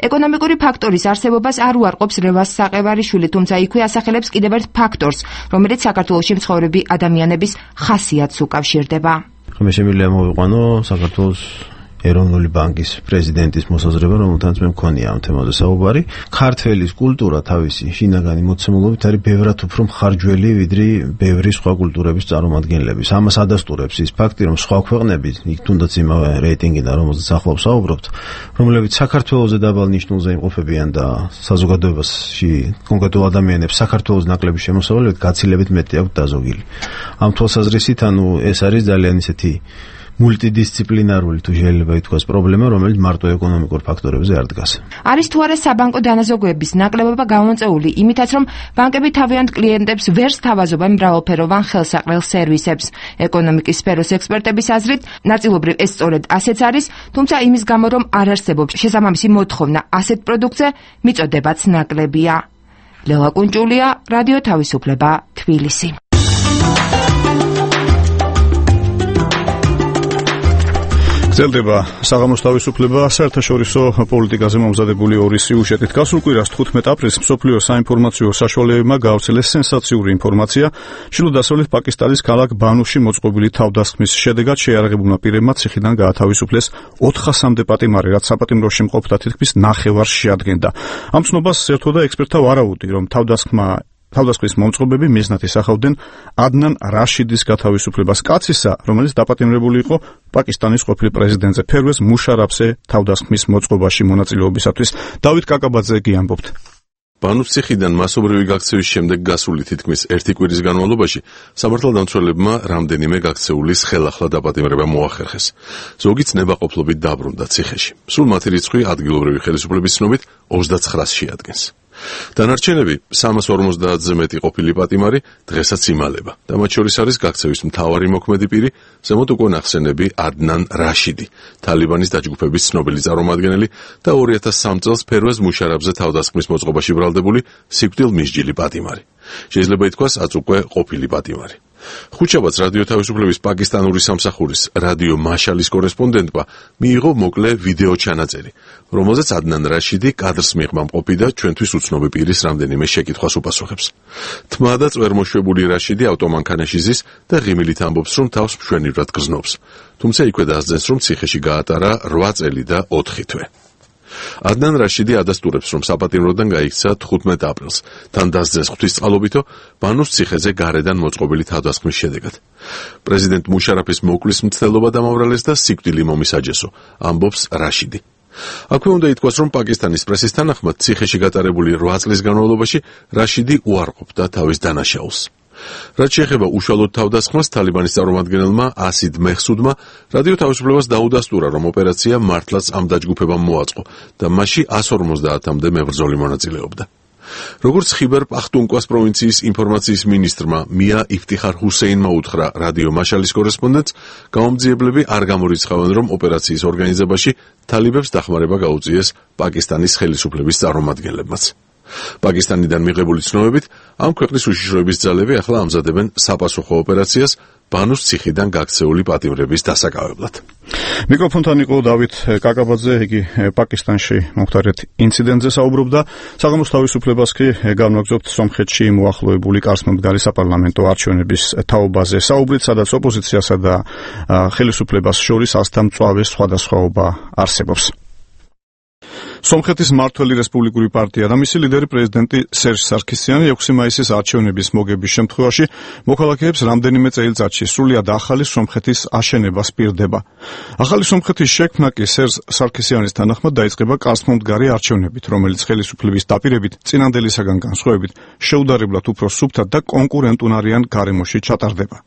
ეკონომიკური ფაქტორის არსებობას არ უარყოფს რევას საყევარიშვილი, თუმცა იქვე ასახელებს კიდევ ერთ ფაქტორს, რომელიც საქართველოში მცხოვრები ადამიანების ხასიათს უკავშირდება. მე შემიძლია მოვიყვანო საქართველოს ეროვნული ბანკის პრეზიდენტის მოსაზრება, რომელთანაც მე მქონია ამ თემაზე საუბარი. ქართველის კულტურა თავისი შინაგანი მოცემულობით არის ბევრად უფრო მხარჯველი ვიდრე ბევრი სხვა კულტურების წარმომადგენლების. ამას ადასტურებს ის ფაქტი, რომ სხვა ქვეყნები, იქ თუნდაც იმავე რეიტინგიდან, რომელზეც ახლა ვსაუბრობთ, რომლებიც საქართველოზე დაბალ ნიშნულზე იმყოფებიან და საზოგადოებაში კონკრეტულ ადამიანებს საქართველოს ნაკლები შემოსავლებით გაცილებით მეტი აქვს დაზოგილი. ამ თვალსაზრისით, ეს არის ძალიან ისეთი მულტიდისციპლინარული თუ შეიძლება ითქვას პრობლემა, რომელიც მარტო ეკონომიკურ ფაქტორებზე არ დგას. არის თუ არა საბანკო დანაზოგოების ნაკლებობა გამომწეული იმითაც, რომ ბანკები თავიანთ კლიენტებს ვერ სთავაზობენ მრავალფეროვან ხელსაყრელ სერვისებს. ეკონომიკის სფეროს ექსპერტების აზრით, ნაწილობრივ ეს სწორედ ასეც არის, თუმცა იმის გამო, რომ არ არსებობს შესაბამისი მოთხოვნა ასეთ პროდუქტზე, მიწოდებაც ნაკლებია. ლელა კუნჭულია, რადიო თავისუფლება, თბილისი. გრძელდება საღამოს თავისუფლება საერთაშორისო პოლიტიკაზე მომზადებული ორი სიუჟეტით. გასულ კვირას 15 აპრილს მსოფლიო საინფორმაციო საშუალებებმა გაავრცელეს სენსაციური ინფორმაცია. ჩრდილო-დასავლეთ პაკისტანის ქალაქ ბანუში მოწყობილი თავდასხმის შედეგად შეიარაღებულმა პირებმა ციხიდან გაათავისუფლეს 400-მდე პატიმარი, რაც საპატიმროში მყოფთა თითქმის ნახევარს შეადგენდა. ამ ცნობას ერთვოდა ექსპერტთა ვარაუდი, რომ თავდასხმის მომწყობები მიზნად ისახავდნენ ადნან რაშიდის გათავისუფლებას, კაცისა, რომელიც დაპატიმრებული იყო პაკისტანის ყოფილ პრეზიდენტზე ფერვეზ მუშარაფზე თავდასხმის მოწყობაში მონაწილეობისათვის. დავით კაკაბაძე კი ამბობთ. ბანუს ციხიდან მასობრივი გაქცევის შემდეგ გასული თითქმის ერთი კვირის განმავლობაში სამართალდამცველებმა რამდენიმე გაქცეულის ხელახლა დაპატიმრება მოახერხეს. ზოგიც ნებაყოფლობით დაბრუნდა ციხეში. სულ მათი რიცხვი ადგილობრივი ხელისუფლების ცნობით 29-ს შეადგენს. დანარჩენები 350-ზე მეტი ყოფილი პატიმარი დღესაც იმალება და მათ შორის არის გაქცევის მთავარი მოქმედი პირი, ზემოთ უკვე ნახსენები ადნან რაშიდი, თალიბანის დაჯგუფების ცნობილი წარმომადგენელი და 2003 წელს ფერვეზ მუშარაფზე თავდასხმის მოწყობაში ბრალდებული სიკვდილმისჯილი პატიმარი. შეიძლება ითქვას, აც უკვე ყოფილი პატიმარი. ხუთშაბათს რადიო თავისუფლების პაკისტანური სამსახურის რადიო მაშალის კორესპონდენტმა მიიღო მოკლე ვიდეო ჩანაწერი, რომელზეც ადნან რაშიდი კადრს მიღმა მყოფი და ჩვენთვის უცნობი პირის რამდენიმე შეკითხვას უპასუხებს. თმა და წვერმოშვებული რაშიდი ავტომანქანაში ზის და ღიმილით ამბობს, რომ თავს მშვენივრად გრძნობს. თუმცა იქვე დაასძენს, რომ ციხეში გაატარა 8 წელი და 4 თვე. ადნან რაშიდი ადასტურებს, რომ საპატიმროდან გაიქცა 15 აპრილს, თან დასძენს ღვთისწყალობითო ბანუს ციხეზე გარედან მოწყობილი თავდასხმის შედეგად. პრეზიდენტ მუშარაფის მოკლის მცდელობა დამავრალეს და სიკვდილი მომისაჯესო, ამბობს რაშიდი. აქვე უნდა ითქვას, რომ პაკისტანის პრესის თანახმად ციხეში გატარებული 8 წლის განმავლობაში რაშიდი უარყოფდა თავის დანაშაულს. რაც შეეხება უშუალოდ თავდასხმას, თალიბანის წარმომადგენელმა ასიდ მეჰსუდმა რადიო თავისუფლებას დაუდასტურა, რომ ოპერაცია მართლაც ამ დაჯგუფებამ მოაწყო და მასში 150-მდე მებრძოლი მონაწილეობდა. როგორც ხიბერ პახტუნკვას პროვინციის ინფორმაციის მინისტრმა მია იფტიხარ ჰუსეინმა უთხრა რადიო მაშალის კორესპონდენტს, გამომძიებლები არ გამორიცხავენ, რომ ოპერაციის ორგანიზებაში თალიბებს დახმარება გაუწიეს პაკისტანის ხელისუფლების წარმომადგენლებმაც. პაკისტანიდან მიღებული ცნობებით, ამ ქვეყნის უშიშროების ძალები ახლა ამზადებენ საპასუხო ოპერაციას ბანუს ციხიდან გაქცეული პატიმრების დასაკავებლად. მიკროფონთან იყო დავით კაკაბაძე, იგი პაკისტანში მომხდარეთ ინციდენტზე საუბრობდა. საღამოს თავისუფლებას კი განვაგრძობთ სომხეთში მოახლოებული კარსმომდგარი საპარლამენტო არჩევნების თაობაზე საუბრით, სადაც ოპოზიციასა და ხელისუფლებას შორის ასთამწვავე სხვადასხვაობა არსებობს. სომხეთის მმართველი რესპუბლიკური პარტია და მისი ლიდერი პრეზიდენტი სერჟ სარქისიანი 6 მაისის არჩევნების მოგების შემთხვევაში მოქალაქეებს რამდენიმე წელიწადში სრულიად ახალი სომხეთის აშენებას პირდება. ახალი სომხეთის შექმნა კი სერჟ სარქისიანის თანახმად დაიწყება კარსმომდგარი არჩევნებით, რომელიც ხელისუფლების დაპირებით წინანდელისაგან განსხვავებით შეუდარებლად უფრო სუფთად და კონკურენტუნარიან გარემოში ჩატარდება.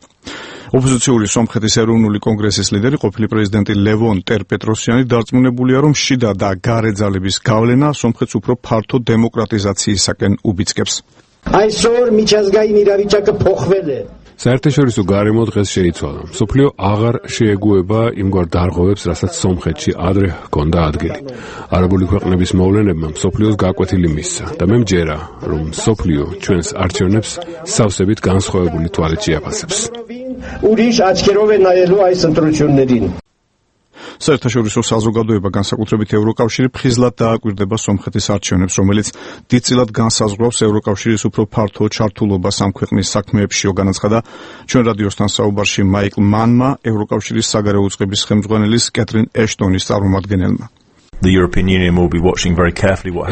ოპოზიციური სომხეთის ეროვნული კონგრესის ლიდერი ყოფილი პრეზიდენტი ლევონ ტერპეტროსიანი დარწმუნებულია, რომ შიდა და გარე ძალების გავლენა სომხეთს უფრო ფართო დემოკრატიზაციისაკენ უბიძგებს. այսօր միջազգային իրավիճակը փոխվել է. საერთაშორისო გარემო დღეს შეიცვალა. მსოფლიო აღარ შეეგუება იმგვარ დარღვევებს, რასაც სომხეთში ადრე ჰქონდა ადგილი. არაბული ქვეყნების მოვლენებმა მსოფლიოს გაკვეთილი მისცა და მე მჯერა, რომ მსოფლიო ჩვენს არჩევნებს სავსებით განსხვავებული თვალით შეაფასებს. ուրիշ աչքերով է նայելու այս ընտրություններին. საერთაშორისო საზოგადოება, განსაკუთრებით ევროკავშირი, ფხიზლად დააკვირდება სომხეთის არჩევნებს, რომელიც დიდწილად განსაზღვრავს ევროკავშირის უფრო ფართო ჩართულობას ამ ქვეყნის საქმეებშიო, განაცხადა ჩვენ რადიოსთან საუბარში მაიკლ მანმა, ევროკავშირის საგარეო უწყების ხელმძღვანელის კეთრინ ეშტონის წარმომადგენელმა.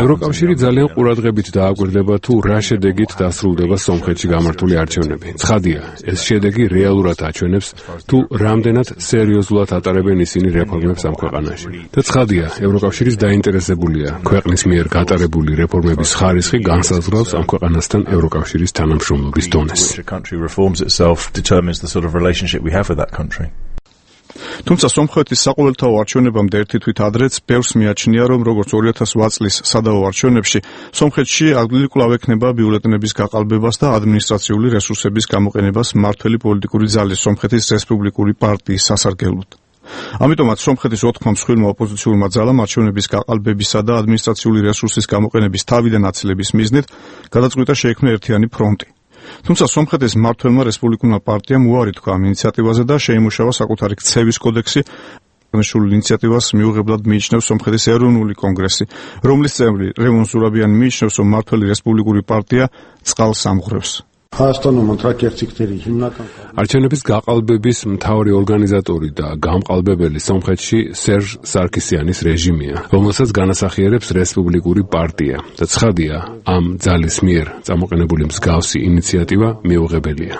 ევროკავშირი ძალიან ყურადღებით დააკვირდება თუ რა შედეგით დასრულდება სომხეთში გამართული არჩევნები. ცხადია, ეს შედეგი რეალურად აჩვენებს თუ რამდენად სერიოზულად ატარებენ ისინი რეფორმებს ამ ქვეყანაში. და ცხადია, ევროკავშირის დაინტერესებულია ქვეყნის მიერ გატარებული რეფორმების ხარისხი განსაზღვრავს ამ ქვეყანასთან ევროკავშირის თანამშრომლობის დონეს. თუმცა სომხეთის საყოველთაო არჩევნებამდე ერთი თვით ადრეც ბევრს მიაჩნია, რომ როგორც 2008 წლის სადავო არჩევნებში, სომხეთში ადგილი კვლავ ექნება ბიულეტენების გაყალბებას და ადმინისტრაციული რესურსების გამოყენებას მმართველი პოლიტიკური ძალის სომხეთის რესპუბლიკური პარტიის სასარგებლოდ. ამიტომაც სომხეთის 4 მსხვილმა ოპოზიციურმა ძალამ არჩევნების გაყალბებისა და ადმინისტრაციული რესურსის გამოყენების თავიდან აცილების მიზნით გადაწყვიტა შეექმნა ერთიანი ფრონტი. თუმცა სომხეთის მმართველმა რესპუბლიკურმა პარტიამ უარი თქვა ამ ინიციატივაზე და შეიმუშავა საკუთარი ქცევის კოდექსი. აღნიშნულ ინიციატივას მიუღებლად მიიჩნევს სომხეთის ეროვნული კონგრესი, რომლის წევრი ლევონ ზურაბიანი მიიჩნევს, რომ მმართველი რესპუბლიკური პარტია წყალს ამღვრევს. არჩევნების გაყალბების მთავარი ორგანიზატორი და გამყალბებელი სომხეთში სერჟ სარქისიანის რეჟიმია, რომელსაც განასახიერებს რესპუბლიკური პარტია და ცხადია, ამ ძალის მიერ წამოყენებული მსგავსი ინიციატივა მიუღებელია.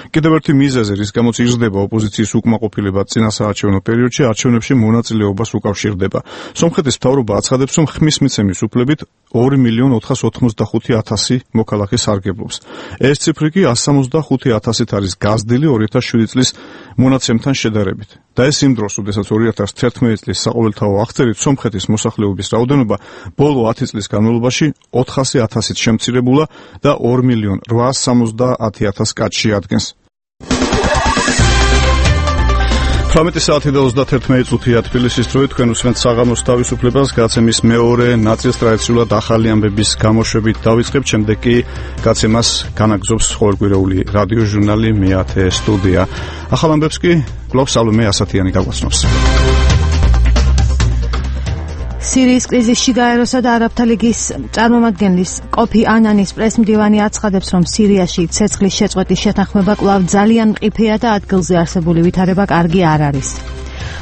კიდევ ერთი მიზეზი, რის გამოც იზრდება ოპოზიციის უკმაყოფილება წინასაარჩევნო პერიოდში, არჩევნებში მონაწილეობას უკავშირდება. სომხეთის მთავრობა აცხადებს, რომ ხმის მიცემის უფლებით 2.485.000 მოქალაქე სარგებლობს. ეს ციფრი კი 165.000-ით არის გაზრდილი 2007 წლის მონაცემთან შედარებით. და ეს იმ დროს, როდესაც 2011 წლის საყოველთაო აღწერით სომხეთის მოსახლეობის რაოდენობა ბოლო 10 წლის განმავლობაში 400.000-ით შემცირებულა და 2.870.000 კაცში ადგენს. 18 საათი და 31 წუთია თბილისის დროით, თქვენ უსმენთ საღამოს თავისუფლებას, გაცემის მეორე ნაწილს ტრადიციულად ახალი ამბების გამოშვებით დავიწყებთ, შემდეგ კი გაცემას განაგზობს ყოველკვირეული რადიო ჟურნალი მე-10 სტუდია. ახალ ამბებს კი კვლავ სალომე ასათიანი გაგვაცნობს. სირიის კრიზისში გაეროსა და არაბთა ლიგის წარმომადგენლის კოფი ანანის პრესმდივანი აცხადებს, რომ სირიაში ცეცხლის შეწყვეტის შეთანხმება კვლავ ძალიან მყიფეა და ადგილზე არსებული ვითარება კარგი არ არის.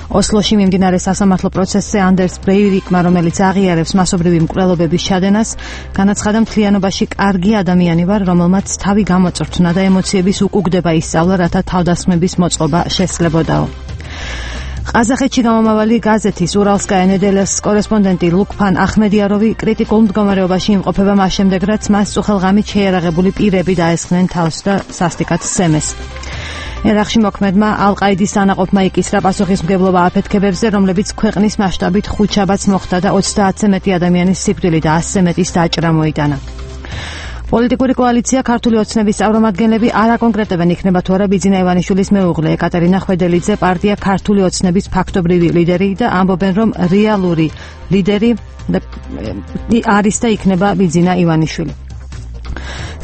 ოსლოში მიმდინარე სასამართლო პროცესზე ანდერს ბრეივიკმა, რომელიც აღიარებს მასობრივი მკვლელობების ჩადენას, განაცხადა, მთლიანობაში კარგი ადამიანი ვარ, რომელმაც თავი გამოწვრთნა და ემოციების უკუგდება ისწავლა, რათა თავდასხმების მოწყობა შესაძლებოდაო. ყაზახეთში გამომავალი გაზეთის ურალსკაია ნედელას კორესპონდენტი ლუკფან ახმედიაროვი კრიტიკულ მდგომარეობაში იმყოფება მას შემდეგ, რაც მას წუხელღამით შეიარაღებული პირები დაესხნენ თავს და სასტიკად სცემეს. ერაყში მოქმედმა ალ-ყაიდის ანაყოფმა იკისრა პასუხისმგებლობა აფეთქებებზე, რომლებიც ქვეყნის მასშტაბით 5 შაბათს მოხდა და 30-ზე მეტი ადამიანის სიკვდილი და 100-ზე მეტის დაჭრა მოიტანა. პოლიტიკური კოალიცია ქართული ოცნების წარმომადგენლები არ აკონკრეტებენ იქნება თუ არა ბიძინა ივანიშვილის მეუღლე ეკატერინა ხვედელიძე, პარტია ქართული ოცნების ფაქტობრივი ლიდერი და ამბობენ, რომ რეალური ლიდერი არის და იქნება ბიძინა ივანიშვილი.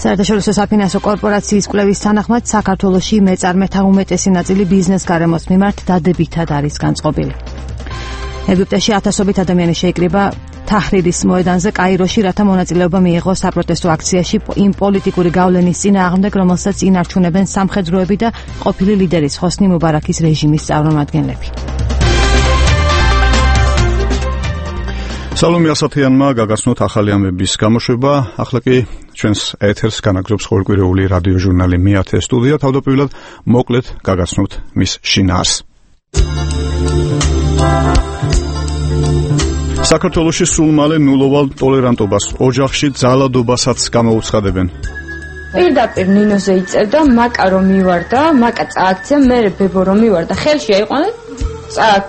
საერთაშორისო საფინანსო კორპორაციის კვლევის თანახმად, საქართველოში მეწარმეთა უმეტესი ნაწილი ბიზნეს გარემოს მიმართ დადებითად არის განწყობილი. ეგვიპტეში ათასობით ადამიანი შეიკრიბა თაჰრირის მოედანზე კაიროში, რათა მონაწილეობა მიიღოს საპროტესტო აქციაში იმ პოლიტიკური გავლენის წინააღმდეგ, რომელსაც ინარჩუნებენ სამხედროები და ყოფილი ლიდერის ჰოსნი მუბარაქის რეჟიმის წარმომადგენლები. სალომე ასათიანმა გაგაცნოთ ახალი ამბების გამოშვება. ახლა კი ჩვენს ეთერს განაგზობს ყოველკვირეული რადიო ჟურნალი მე-10 სტუდია. თავდაპირველად მოკლედ გაგაცნობთ მის შინაარს. საქართველოში სულ მალე ნულოვან ტოლერანტობას, ოჯახში ძალადობასაც გამოუცხადებენ. პირდაპირ ნინოზე იწერდა, მაკა რომ მივარდა, მაკა წააქცია, მე ბებო რომ მივარდა, ხელში აიყვანა,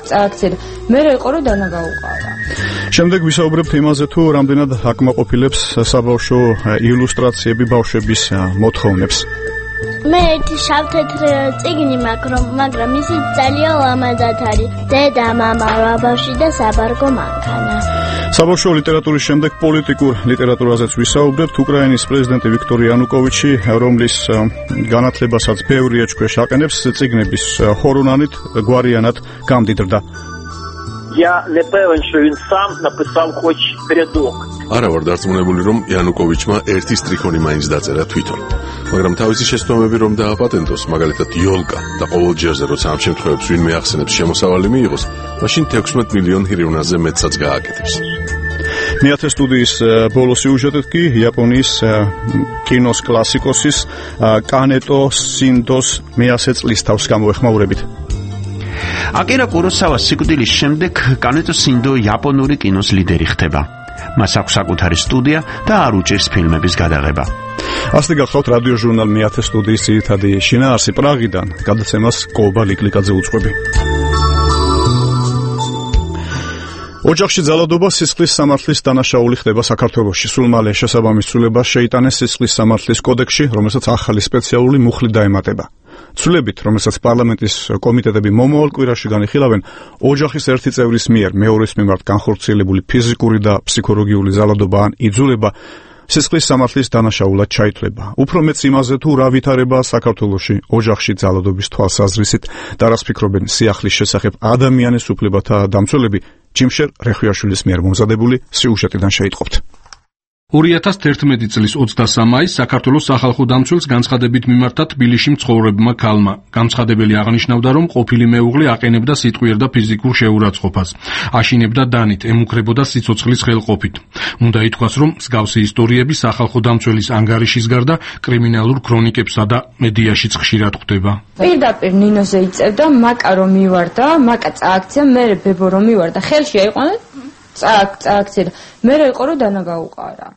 წააქცია და მე იყო რომ დანა გაუყარა. შემდეგ ვისაუბრებთ იმაზე, თუ რამდენად აკმაყოფილებს საბავშვო ილუსტრაციები ბავშვების მოთხოვნებს. მე ერთი შავ-თეთრი წიგნი მაქვს, მაგრამ ისი ძალიან ლამაზად არის. დედა, მამა, ბავშვი და საბარგო მანქანა. საბავშვო ლიტერატურის შემდეგ პოლიტიკურ ლიტერატურაზეც ვისაუბრებთ. უკრაინის პრეზიდენტი ვიქტორ იანუკოვიჩი, რომლის განათლებასაც ბევრი ეჭქვეშ აყენებს, წიგნების ხორონანით გვარიანად გამდიდრდა. Я не певен, що він сам написав хоч рядок. არა ვარ დარწმუნებული, რომ იანუკოვიჩმა ერთი სტრიქონი მაინც დაწერა თვითონ. მაგრამ თავისი შეცდომები რომ დააპატენტოს, მაგალითად იოლკა და ყოველ ჯერზე როცა ამ შემთხვევებს ვინმე ახსენებს შემოსავალი მიიღოს, მაშინ 16 მილიონ ჰირივნაზე მეტსაც გააკეთებს. მეათე სტუდიის ბოლო სიუჟეტით კი იაპონიის კინოს კლასიკოსის კანეტო სინდოს მე-100 წლის თავს გამოეხმაურებით. აკირა კუროსავას სიკვდილის შემდეგ კანეტო სინდო იაპონური კინოს ლიდერი ხდება. მას აქვს საკუთარი სტუდია და არ უჭირს ფილმების გადაღება. ასე გახლავთ რადიო ჟურნალ მე-10 სტუდიის ძირითადი შინაარსი პრაღიდან, გადაცემას კობა ლიკლიკაძე უწყობი. ოჯახში ძალადობა სისხლის სამართლის დანაშაული ხდება საქართველოში. სულ მალე შესაბამის ცვლილებას შეიტანეს სისხლის სამართლის კოდექსში, რომელსაც ახალი სპეციალური მუხლი დაემატება. ცვლილებით, რომელსაც პარლამენტის კომიტეტები მომავალ კვირაში განიხილავენ, ოჯახის ერთი წევრის მიერ მეორის მიმართ განხორციელებული ფიზიკური და ფსიქოლოგიური ძალადობა ან იძულება სისხლის სამართლის დანაშაულად ჩაითვლება. უფრო მეც იმაზე, თუ რა ვითარებაა საქართველოში ოჯახში ძალადობის თვალსაზრისით და რას ფიქრობენ სიახლის შესახებ ადამიანის უფლებათა დამცველები, ჯიმშერ რეხვიაშვილის მიერ მომზადებული სიუჟეტიდან შეიტყობთ. 2011 წლის 23 მაისს საქართველოს სახალხო დამცველს განცხადებით მიმართა თბილისში მცხოვრებმა ქალმა. განცხადებელი აღნიშნავდა, რომ ყოფილი მეუღლე აყენებდა სიტყვიერ და ფიზიკურ შეურაცხყოფას, აშინებდა დანით, ემუქრებოდა სიცოცხლის ხელყოფით. უნდა ითქვას, რომ მსგავსი ისტორიები სახალხო დამცველის ანგარიშის გარდა კრიმინალურ ქრონიკებსა და მედიაშიც ხშირად ხვდება. პირდაპირ ნინოზე იწევდა, მაკა რომ მივარდა, მაკა წააქცია, მე ბებო რომ მივარდა, ხელში აიყვანა წააქცია, მე იყო რომ დანა გაუყარა.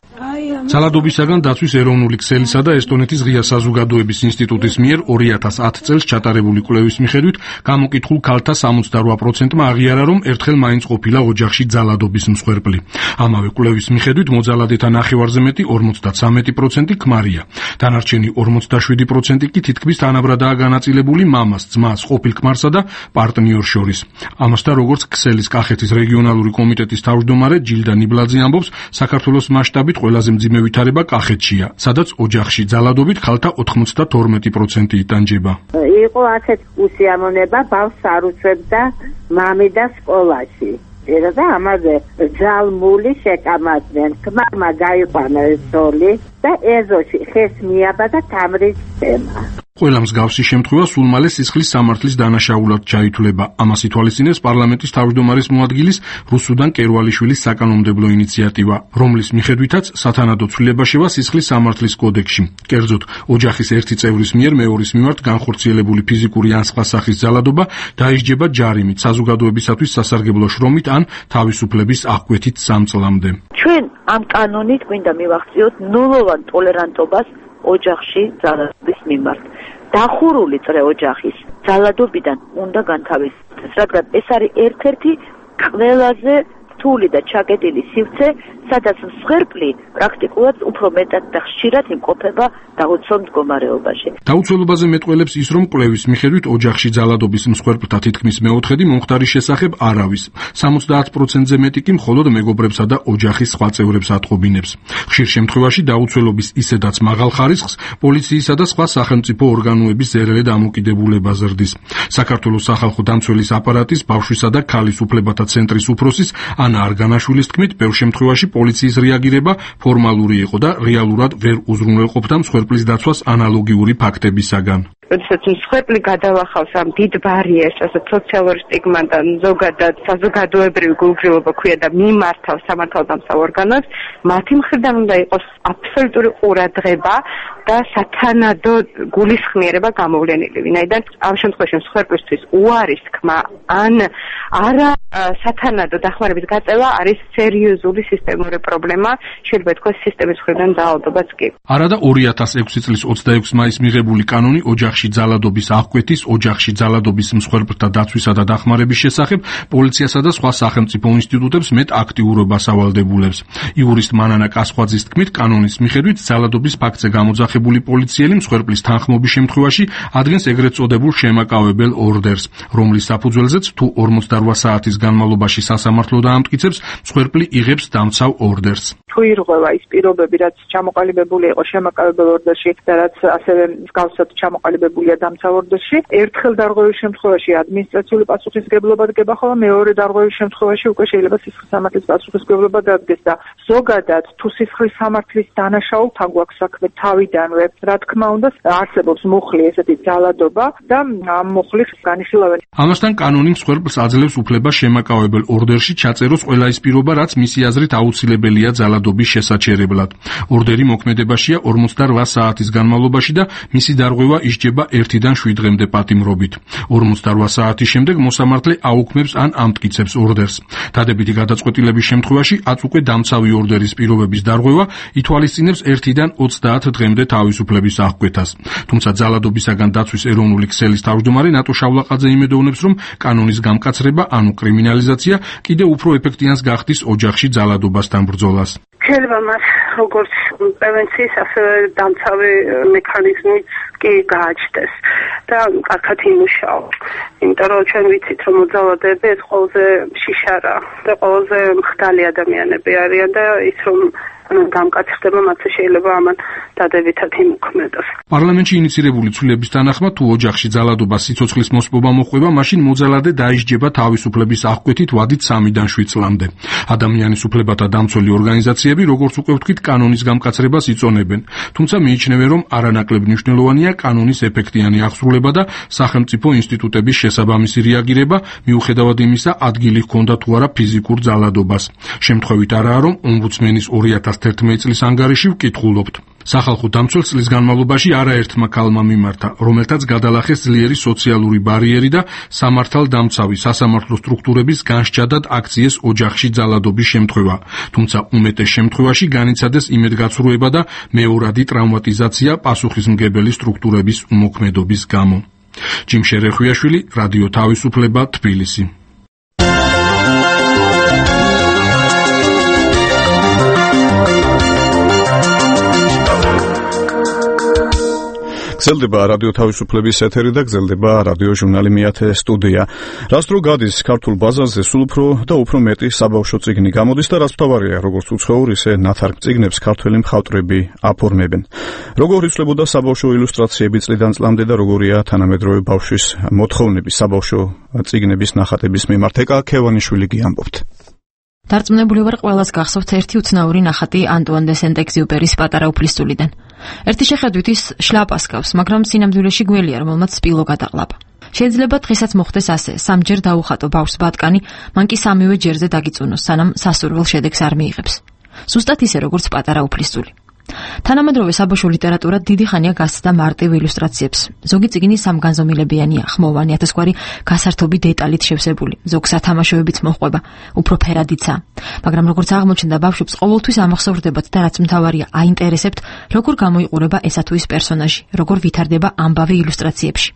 ძალადობისაგან დაცვის ეროვნული ქსელისა და ესტონეთის ღია საზოგადოების ინსტიტუტის მიერ 2010 წელს ჩატარებული კვლევის მიხედვით გამოკითხულ ქალთა 68%-მა აღიარა, რომ ერთხელ მაინც ყოფილა ოჯახში ძალადობის მსხვერპლი. ამავე კვლევის მიხედვით მოძალადეთა ნახევარზე მეტი 53% ქმარია. დანარჩენი 47% კი თითქმის თანაბრადაა განაწილებული მამას, ძმას, ყოფილ ქმარსა და პარტნიორს შორის. ამასთან, როგორც ქსელის კახეთის რეგიონალური კომიტეტის თავმჯდომარე ჯილდა ნიბლაძე ამბობს, საქართველოს მასშტაბით ყველაზე მძიმე ვითარება კახეთშია, სადაც ოჯახში ძალადობით ხალთა 92% იტანჯება. იყო ასეთ უსიამოვნება, ბავშვს არ უწევდა მამიდა სკოლაში. და ამაზე ძალმული შეკამათდნენ. ქმარმა გაიყვანა ეს ზოლი და ეზოში ხეს მიაბა და თამრის თემა. ყველა მსგავსი შემთხვევა სულ მალე სისხლის სამართლის დანაშაულად ჩაითვლება. ამას ითვალისწინებს პარლამენტის თავმჯდომარის მოადგილის რუსუდან კერვალიშვილის საკანონმდებლო ინიციატივა, რომლის მიხედვითაც სათანადო ცვლილება შევა სისხლის სამართლის კოდექსში. კერძოდ, ოჯახის ერთი წევრის მიერ მეორის მიმართ განხორციელებული ფიზიკური ან სხვა სახის ძალადობა დაისჯება ჯარიმით, საზოგადოებისათვის სასარგებლო შრომით ან თავისუფლების აღკვეთით 3 წლამდე. ჩვენ ამ კანონით გვინდა მივახციოთ ნულოვან ტოლერანტობას ოჯახში ძალადობის მიმართ. დახურული წრე ოჯახის ძალადობიდან უნდა განთავისდეს, რადგან ეს არის ერთ-ერთი ყველაზე რთული და ჩაკეტილი სივრცე, სადაც მსხვერპლი პრაქტიკულად უფრო მეტად და ხშირად იმყოფება დაუცველ მდგომარეობაში. დაუცველობაზე მეტყველებს ის, რომ კვლევის მიხედვით ოჯახში ძალადობის მსხვერპლთა თითქმის მეოთხედი მომხდარის შესახებ არავის. 70%-ზე მეტი კი მხოლოდ მეგობრებსა და ოჯახის სხვა წევრებს ატყობინებს. ხშირ შემთხვევაში დაუცველობის ისედაც მაღალ ხარისხს პოლიციისა და სხვა სახელმწიფო ორგანოების ზერელე დამოკიდებულება ზრდის. საქართველოს სახალხო დამცველის აპარატის, ბავშვისა და ქალის უფლებათა ცენტრის უფროსის ანა არგანაშვილის თქმით, ბევრ შემთხვევაში პოლიციის რეაგირება ფორმალური იყო და რეალურად ვერ უზრუნველყოფდა მსხვერპლის დაცვას ანალოგიური ფაქტებისაგან. როდესაც მსხვერპლი გადავახავს ამ დიდ ბარიერს, ასე სოციალურ სტიგმატთან, ზოგადად საზოგადოებრივი გულგრილობა ქვია და მიმართავს სამართალდამცავ ორგანოს, მათი მხრიდან უნდა იყოს აბსოლუტური ყურადღება და სათანადო გულისხმიერება გამოვლენილი. ვინაიდან ამ შემთხვევაში მსხვერპლისთვის უარის თქმა ან არა სათანადო დახმარების გაწევა არის სერიოზული სისტემური პრობლემა, შეიძლება ითქვას სისტემის მხრიდან დაავადებაც კი. არა და 2006 წლის 26 მაისს მიღებული კანონი ოჯახში ძალადობის აღკვეთის, ოჯახში ძალადობის მსხვერპლთა დაცვისა და დახმარების შესახებ პოლიციასა და სხვა სახელმწიფო ინსტიტუტებს მეტ აქტიურობას ავალდებულებს. იურისტ მანანა კასხვაძის თქმით, კანონის მიხედვით ძალადობის ფაქტზე გამოძახებული განაცხებული პოლიციელი მსხვერპლის თანხმობის შემთხვევაში ადგენს ეგრეთ წოდებულ შემაკავებელ ორდერს, რომლის საფუძველზეც თუ 48 საათის განმავლობაში სასამართლო დაამტკიცებს, მსხვერპლი იღებს დამცავ ორდერს. თუ ირღვევა ის პირობები, რაც ჩამოყალიბებული იყო შემაკავებელ ორდერში და რაც ასევე მსგავსად ჩამოყალიბებულია დამცავ ორდერში, ერთხელ დარღვევის შემთხვევაში ადმინისტრაციული პასუხისმგებლობა დგება, ხოლო მეორე დარღვევის შემთხვევაში უკვე შეიძლება სისხლის სამართლის პასუხისმგებლობა დადგეს და ზოგადად თუ სისხლის სამართლის დანაშაულთან გვაქვს საქმე თავიდანვე, რა თქმა უნდა, არსებობს მუხლი ესეთი ძალადობა და ამ მუხლის განიხილავენ. ამასთან კანონი მსხვერპლს აძლევს უფლებას შემაკავებელ ორდერში ჩაწეროს ყველა ის პირობა, რაც მისი აზრით აუცილებელია ძალადობის შესაჩერებლად. ორდერი მოქმედებაშია 48 საათის განმავლობაში და მისი დარღვევა ისჯება 1-დან 7 დღემდე პატიმრობით. 48 საათის შემდეგ მოსამართლე აუქმებს ან ამტკიცებს ორდერს. დადებითი გადაწყვეტილების შემთხვევაში აც უკვე დამცავი ორდერის პირობების დარღვევა ითვალისწინებს 1-დან 30 დღემდე თავისუფლების აღკვეთას. თუმცა ძალადობისაგან დაცვის ეროვნული ქსელის თავმჯდომარე ნატო შავლაყაძე იმედოვნებს, რომ კანონის გამკაცრება, ანუ კრიმინალიზაცია, კიდევ უფრო ეფექტიანს გახდის ოჯახში ძალადობასთან ბრძოლას. შეიძლება მას როგორც პრევენციის, ასევე დამცავი მექანიზმიც კი გააჩნდეს და კარგად იმუშაოს. იმიტომ რომ ჩვენ ვიცით, რომ მოძალადეები ეს ყველაზე შიშარა და ყველაზე მხდალი ადამიანები არიან და ის რომ გამკაცრდება, მათზე შეიძლება ამან დადებითად იმოქმედოს. პარლამენტში ინიცირებული ცვლილების თანახმად, თუ ოჯახში ძალადობას სიცოცხლის მოსპობა მოხვდება, მაშინ მოძალადე დაისჯება თავისუფლების აღკვეთით ვადით 3-დან 7 წლამდე. ადამიანის უფლებათა დამცველი ორგანიზაციები, როგორც უკვე ვთქვით, კანონის გამკაცრებას იწონებენ. თუმცა მიიჩნევენ, რომ არანაკლებ მნიშვნელოვანია კანონის ეფექტიანი აღსრულება და სახელმწიფო ინსტიტუტების შესაბამისი რეაგირება, მიუხედავად იმისა, ადგილი ჰქონდა თუ არა ფიზიკურ ძალადობას. შემთხვევით არაა, რომ ომბუდსმენის 2011 წლის ანგარიში ვკითხულობთ. სახალხო დამცველ წლის განმავლობაში არაერთმა ქალმა მიმართა, რომელთაც გადალახეს ძლიერი სოციალური ბარიერი და სამართალდამცავი სასამართლო სტრუქტურების განსჯადად აქციეს ოჯახში ძალადობის შემთხვევა. თუმცა უმეტეს შემთხვევაში განიცადეს იმედგაცრუება და მეორადი ტრავმატიზაცია პასუხისმგებელი სტრუქტურების უმოქმედობის გამო. ჯიმშე რეხვიაშვილი, რადიო თავისუფლება, თბილისი. გრძელდება რადიო თავისუფლების ეთერი და გრძელდება რადიო ჟურნალი მეათე სტუდია. რას დრო გადის ქართულ ბაზარზე სულ უფრო და უფრო მეტი საბავშვო წიგნი გამოდის და რაც მთავარია, როგორც უცხოურ, ისე ნათარგ წიგნებს ქართველი მხატვრები აფორმებენ. როგორ იცვლებოდა საბავშვო ილუსტრაციები წლიდან წლამდე და როგორია თანამედროვე ბავშვის მოთხოვნები საბავშვო წიგნების ნახატების მიმართ? ეკა ქევანიშვილი გიამბობთ. დარწმუნებული ვარ, ყველას გახსოვთ ერთი უცნაური ნახატი ანტუან დე სენტ-ეგზიუპერის პატარა უფლისწულიდან. ერთი შეხედვით ის შლაპას გავს, მაგრამ სინამდვილეში გველია, რომელმაც სპილო გადაყლაპა. შეიძლება დღესაც მოხდეს ასე, სამჯერ დაუხატო ბავშვს ბატკანი, მან კი სამივე ჯერზე დაგიწუნოს, სანამ სასურველ შედეგს არ მიიღებს. ზუსტად ისე, როგორც პატარა უფლისწული. თანამედროვე საბავშვო ლიტერატურა დიდი ხანია გასცდა მარტივ ილუსტრაციებს. ზოგი წიგნი სამგანზომილებიანია, ხმოვანი, ათასგვარი გასართობი დეტალით შევსებული, ზოგ სათამაშოებიც მოჰყვება, უფრო ფერადიცა. მაგრამ როგორც აღმოჩნდა, ბავშვებს ყოველთვის ამახსოვრდებათ და რაც მთავარია, აინტერესებთ, როგორ გამოიყურება ესა თუ ის პერსონაჟი, როგორ ვითარდება ამბავი ილუსტრაციებში.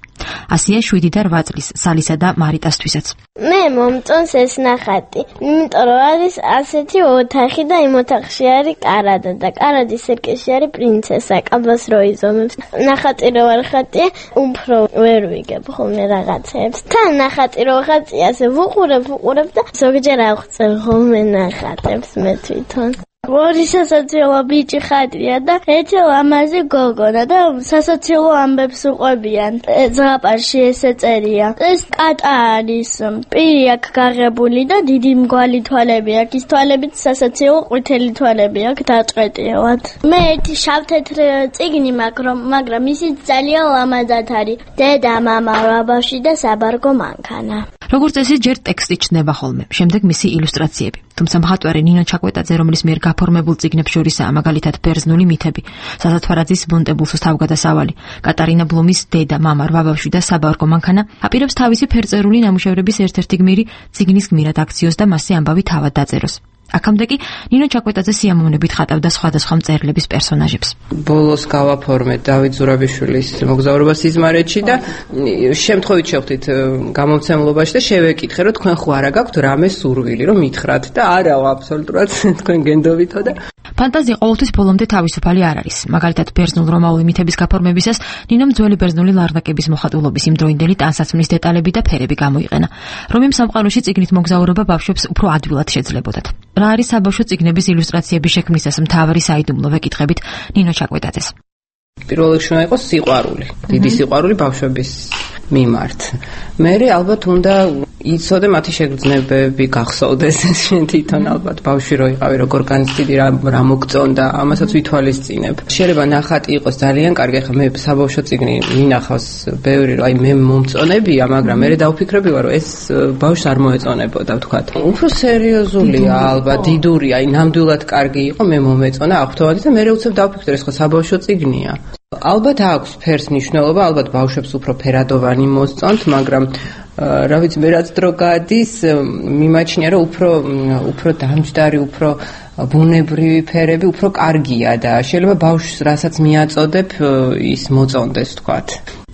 ასია 7 და 8 წლის სალისა და მარიტასთვისაც. მე მომწონს ეს ნახატი, იმიტომ რომ არის ასეთი ოთახი და იმ ოთახში არის კარადა და კარადის სერკეში არის პრინცესა, კაბას რო იზომებს. ნახატი რო არ ხატია, უფრო ვერ ვიგებ ხოლმე რაღაცებს. თან ნახატი რო ხატია, ასე ვუყურებ და ზოგჯერ აღწევ ხოლმე ნახატებს მე თვითონ. ორი სასაცილო ბიჭი ხატია და ერთი ლამაზი გოგონა და სასაცილო ამბებს უყვებიან. ზღაპარში ესე წერია. ეს კატა არის, პირი აქვს გაღებული და დიდი მგვალი თვალები აქვს. ის თვალებით სასაცილო ყვითელი თვალები აქვს დაჭყეტილად. მე ერთი შავ-თეთრ წიგნი მაქვს, მაგრამ ისიც ძალიან ლამაზად არის. დედა, მამა, ბაბაში და საბარგო მანქანა. როგორც წესი, ჯერ ტექსტი ჩნდება ხოლმე, შემდეგ მისი ილუსტრაციები. თუმცა მხატვარი ნინო ჩაკვეტაძე, რომლის მიერ გაფორმებულ წიგნებს შორისაა მაგალითად ბერძნული მითები, საზათვარაძის მონტებულსოს თავგადასავალი, კატარინა ბლუმის დედა, მამა, ბაბაში და საბარგო მანქანა, აპირებს თავისი ფერწერული ნამუშევრების ერთ-ერთი გმირი წიგნის გმირად აქციოს და მასზე ამბავი თავად დაწეროს. აქამდე კი ნინო ჩაკვეტაძე სიამოვნებით ხატავდა სხვადასხვა მწერლების პერსონაჟებს. ბოლოს გავაფორმეთ დავით ზურაბიშვილის მოგზაურობა სიზმარეთში და შემთხვევით შევხვდით გამომცემლობაში და შევეკითხე, რომ თქვენ ხო არა გაქვთ რამე სურვილი, რომ მითხრათ და არა, აბსოლუტურად თქვენ გენდობითო და ფანტაზია ყოველთვის ბოლომდე თავისუფალი არ არის. მაგალითად, ბერძნულ-რომაული მითების გაფორმებისას ნინომ ძველი ბერძნული ლარნაკების მოხატულობის იმდროინდელი ტანსაცმლის დეტალები და ფერები გამოიყენა. რომიმ სამყაროში წიგნით მოგზაურობა ბავშვებს უფრო ადვილად შეძლებოდათ. რა არის საბავშვო წიგნების ილუსტრაციების შექმნისას მთავარი საიდუმლო ვეკითხებით ნინო ჩაკვეტაძეს. პირველ რიგში უნდა იყოს სიყვარული, დიდი სიყვარული ბავშვების მიმართ. მე ალბათ უნდა იცოდე მათი შეგრძნებები, გახსოვდეს თვითონ ალბათ ბავშვი რო იყავი, როგორ განცდიდი რა მოგწონდა, ამასაც ვითვალისწინებ. შეიძლება ნახატი იყოს ძალიან კარგი, ხა მე საბავშვო წიგნი მინახავს ბევრი, აი მე მომწონებია, მაგრამ მე დავფიქრები ვარ, რომ ეს ბავშვს არ მოეწონებოდა, ვთქვათ. უფრო სერიოზულია, ალბათ დიდურია, აი ნამდვილად კარგი იყო, მე მომეწონა აღფრთოვანი და მე უცებ დავფიქრე, ეს ხო საბავშვო წიგნია. ალბათ აქვს ფერს მნიშვნელობა, ალბათ ბავშვებს უფრო ფერადოვანი მოსწონთ, მაგრამ რა ვიცი, მე რაც დრო გადის, მიმაჩნია, რომ უფრო დამჯდარი, უფრო ბუნებრივი ფერები უფრო კარგია და შეიძლება ბავშვს რასაც მიაწოდებ, ის მოწონდეს, ვთქვათ.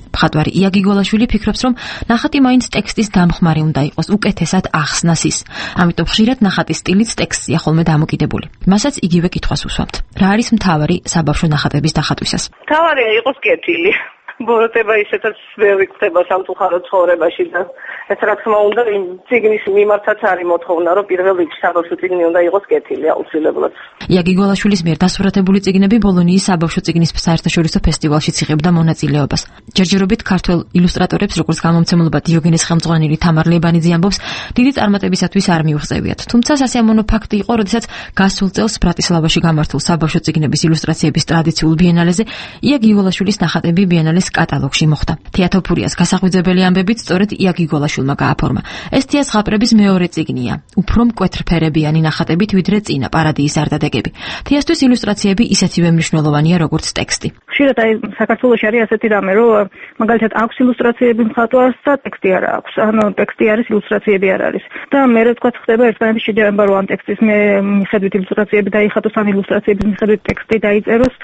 მხატვარი იაგი გოლაშვილი ფიქრობს, რომ ნახატი მაინც ტექსტის დამხმარე უნდა იყოს, უკეთესად ახსნას ის. ამიტომ ხშირად ნახატის სტილიც ტექსტია ხოლმე დამოკიდებული. მასაც იგივე კითხვას უსვამთ. რა არის მთავარი საბავშვო ნახატების დახატვისას? მთავარია იყოს კეთილი. ბოროტება ისეთაც ბევრი ხდება სამწუხაროდ ცხოვრებაში და ეს რა თქმა უნდა იმ წიგნის მიმართაც არის მოთხოვნა, რომ პირველ რიგში საბავშვო წიგნი უნდა იყოს კეთილი აუცილებლად. იაგი გოლაშვილის მიერ დასურათებული წიგნები ბოლონიის საბავშვო წიგნის საერთაშორისო ფესტივალშიც იღებდა მონაწილეობას. ჯერჯერობით ქართველ ილუსტრატორებს, როგორც გამომცემლობა დიოგენეს ხელმძღვანელი თამარ ლებანიძე ამბობს, დიდი წარმატებისათვის არ მიუღწევიათ. თუმცა სასიამოვნო ფაქტი იყო, როდესაც გასულ წელს ბრატისლავაში გამართულ საბავშვო წიგნების ილუსტრაციების ტრადიციულ ბიენალეზე იაგი გოლაშვილის ნახატები ბიენალეს კატალოგში მოხვდა. თეატროფურიას გასახვიძებელი ამბებით სწორედ იაგი გოლაშვილმა გააფორმა. ეს თეატრების მეორე წიგნია. უფრო მკვეთრფერებიანი ნახატებით ვიდრე წინა პარადიის არდადეგები. თეატრის ილუსტრაციები ისეთივე მნიშვნელოვანია, როგორც ტექსტი. ხშირად აი საქართველოში არის ასეთი რამე, რომ მაგალითად აქვს ილუსტრაციები მხატვარს და ტექსტი არ აქვს. ანუ ტექსტი არის, ილუსტრაციები არ არის. და მე თქვა ხდება ერთმანეთის შეჯერება, რომ ამ ტექსტის მიხედვით ილუსტრაციები დაიხატოს, ან ილუსტრაციების მიხედვით ტექსტი დაიწეროს.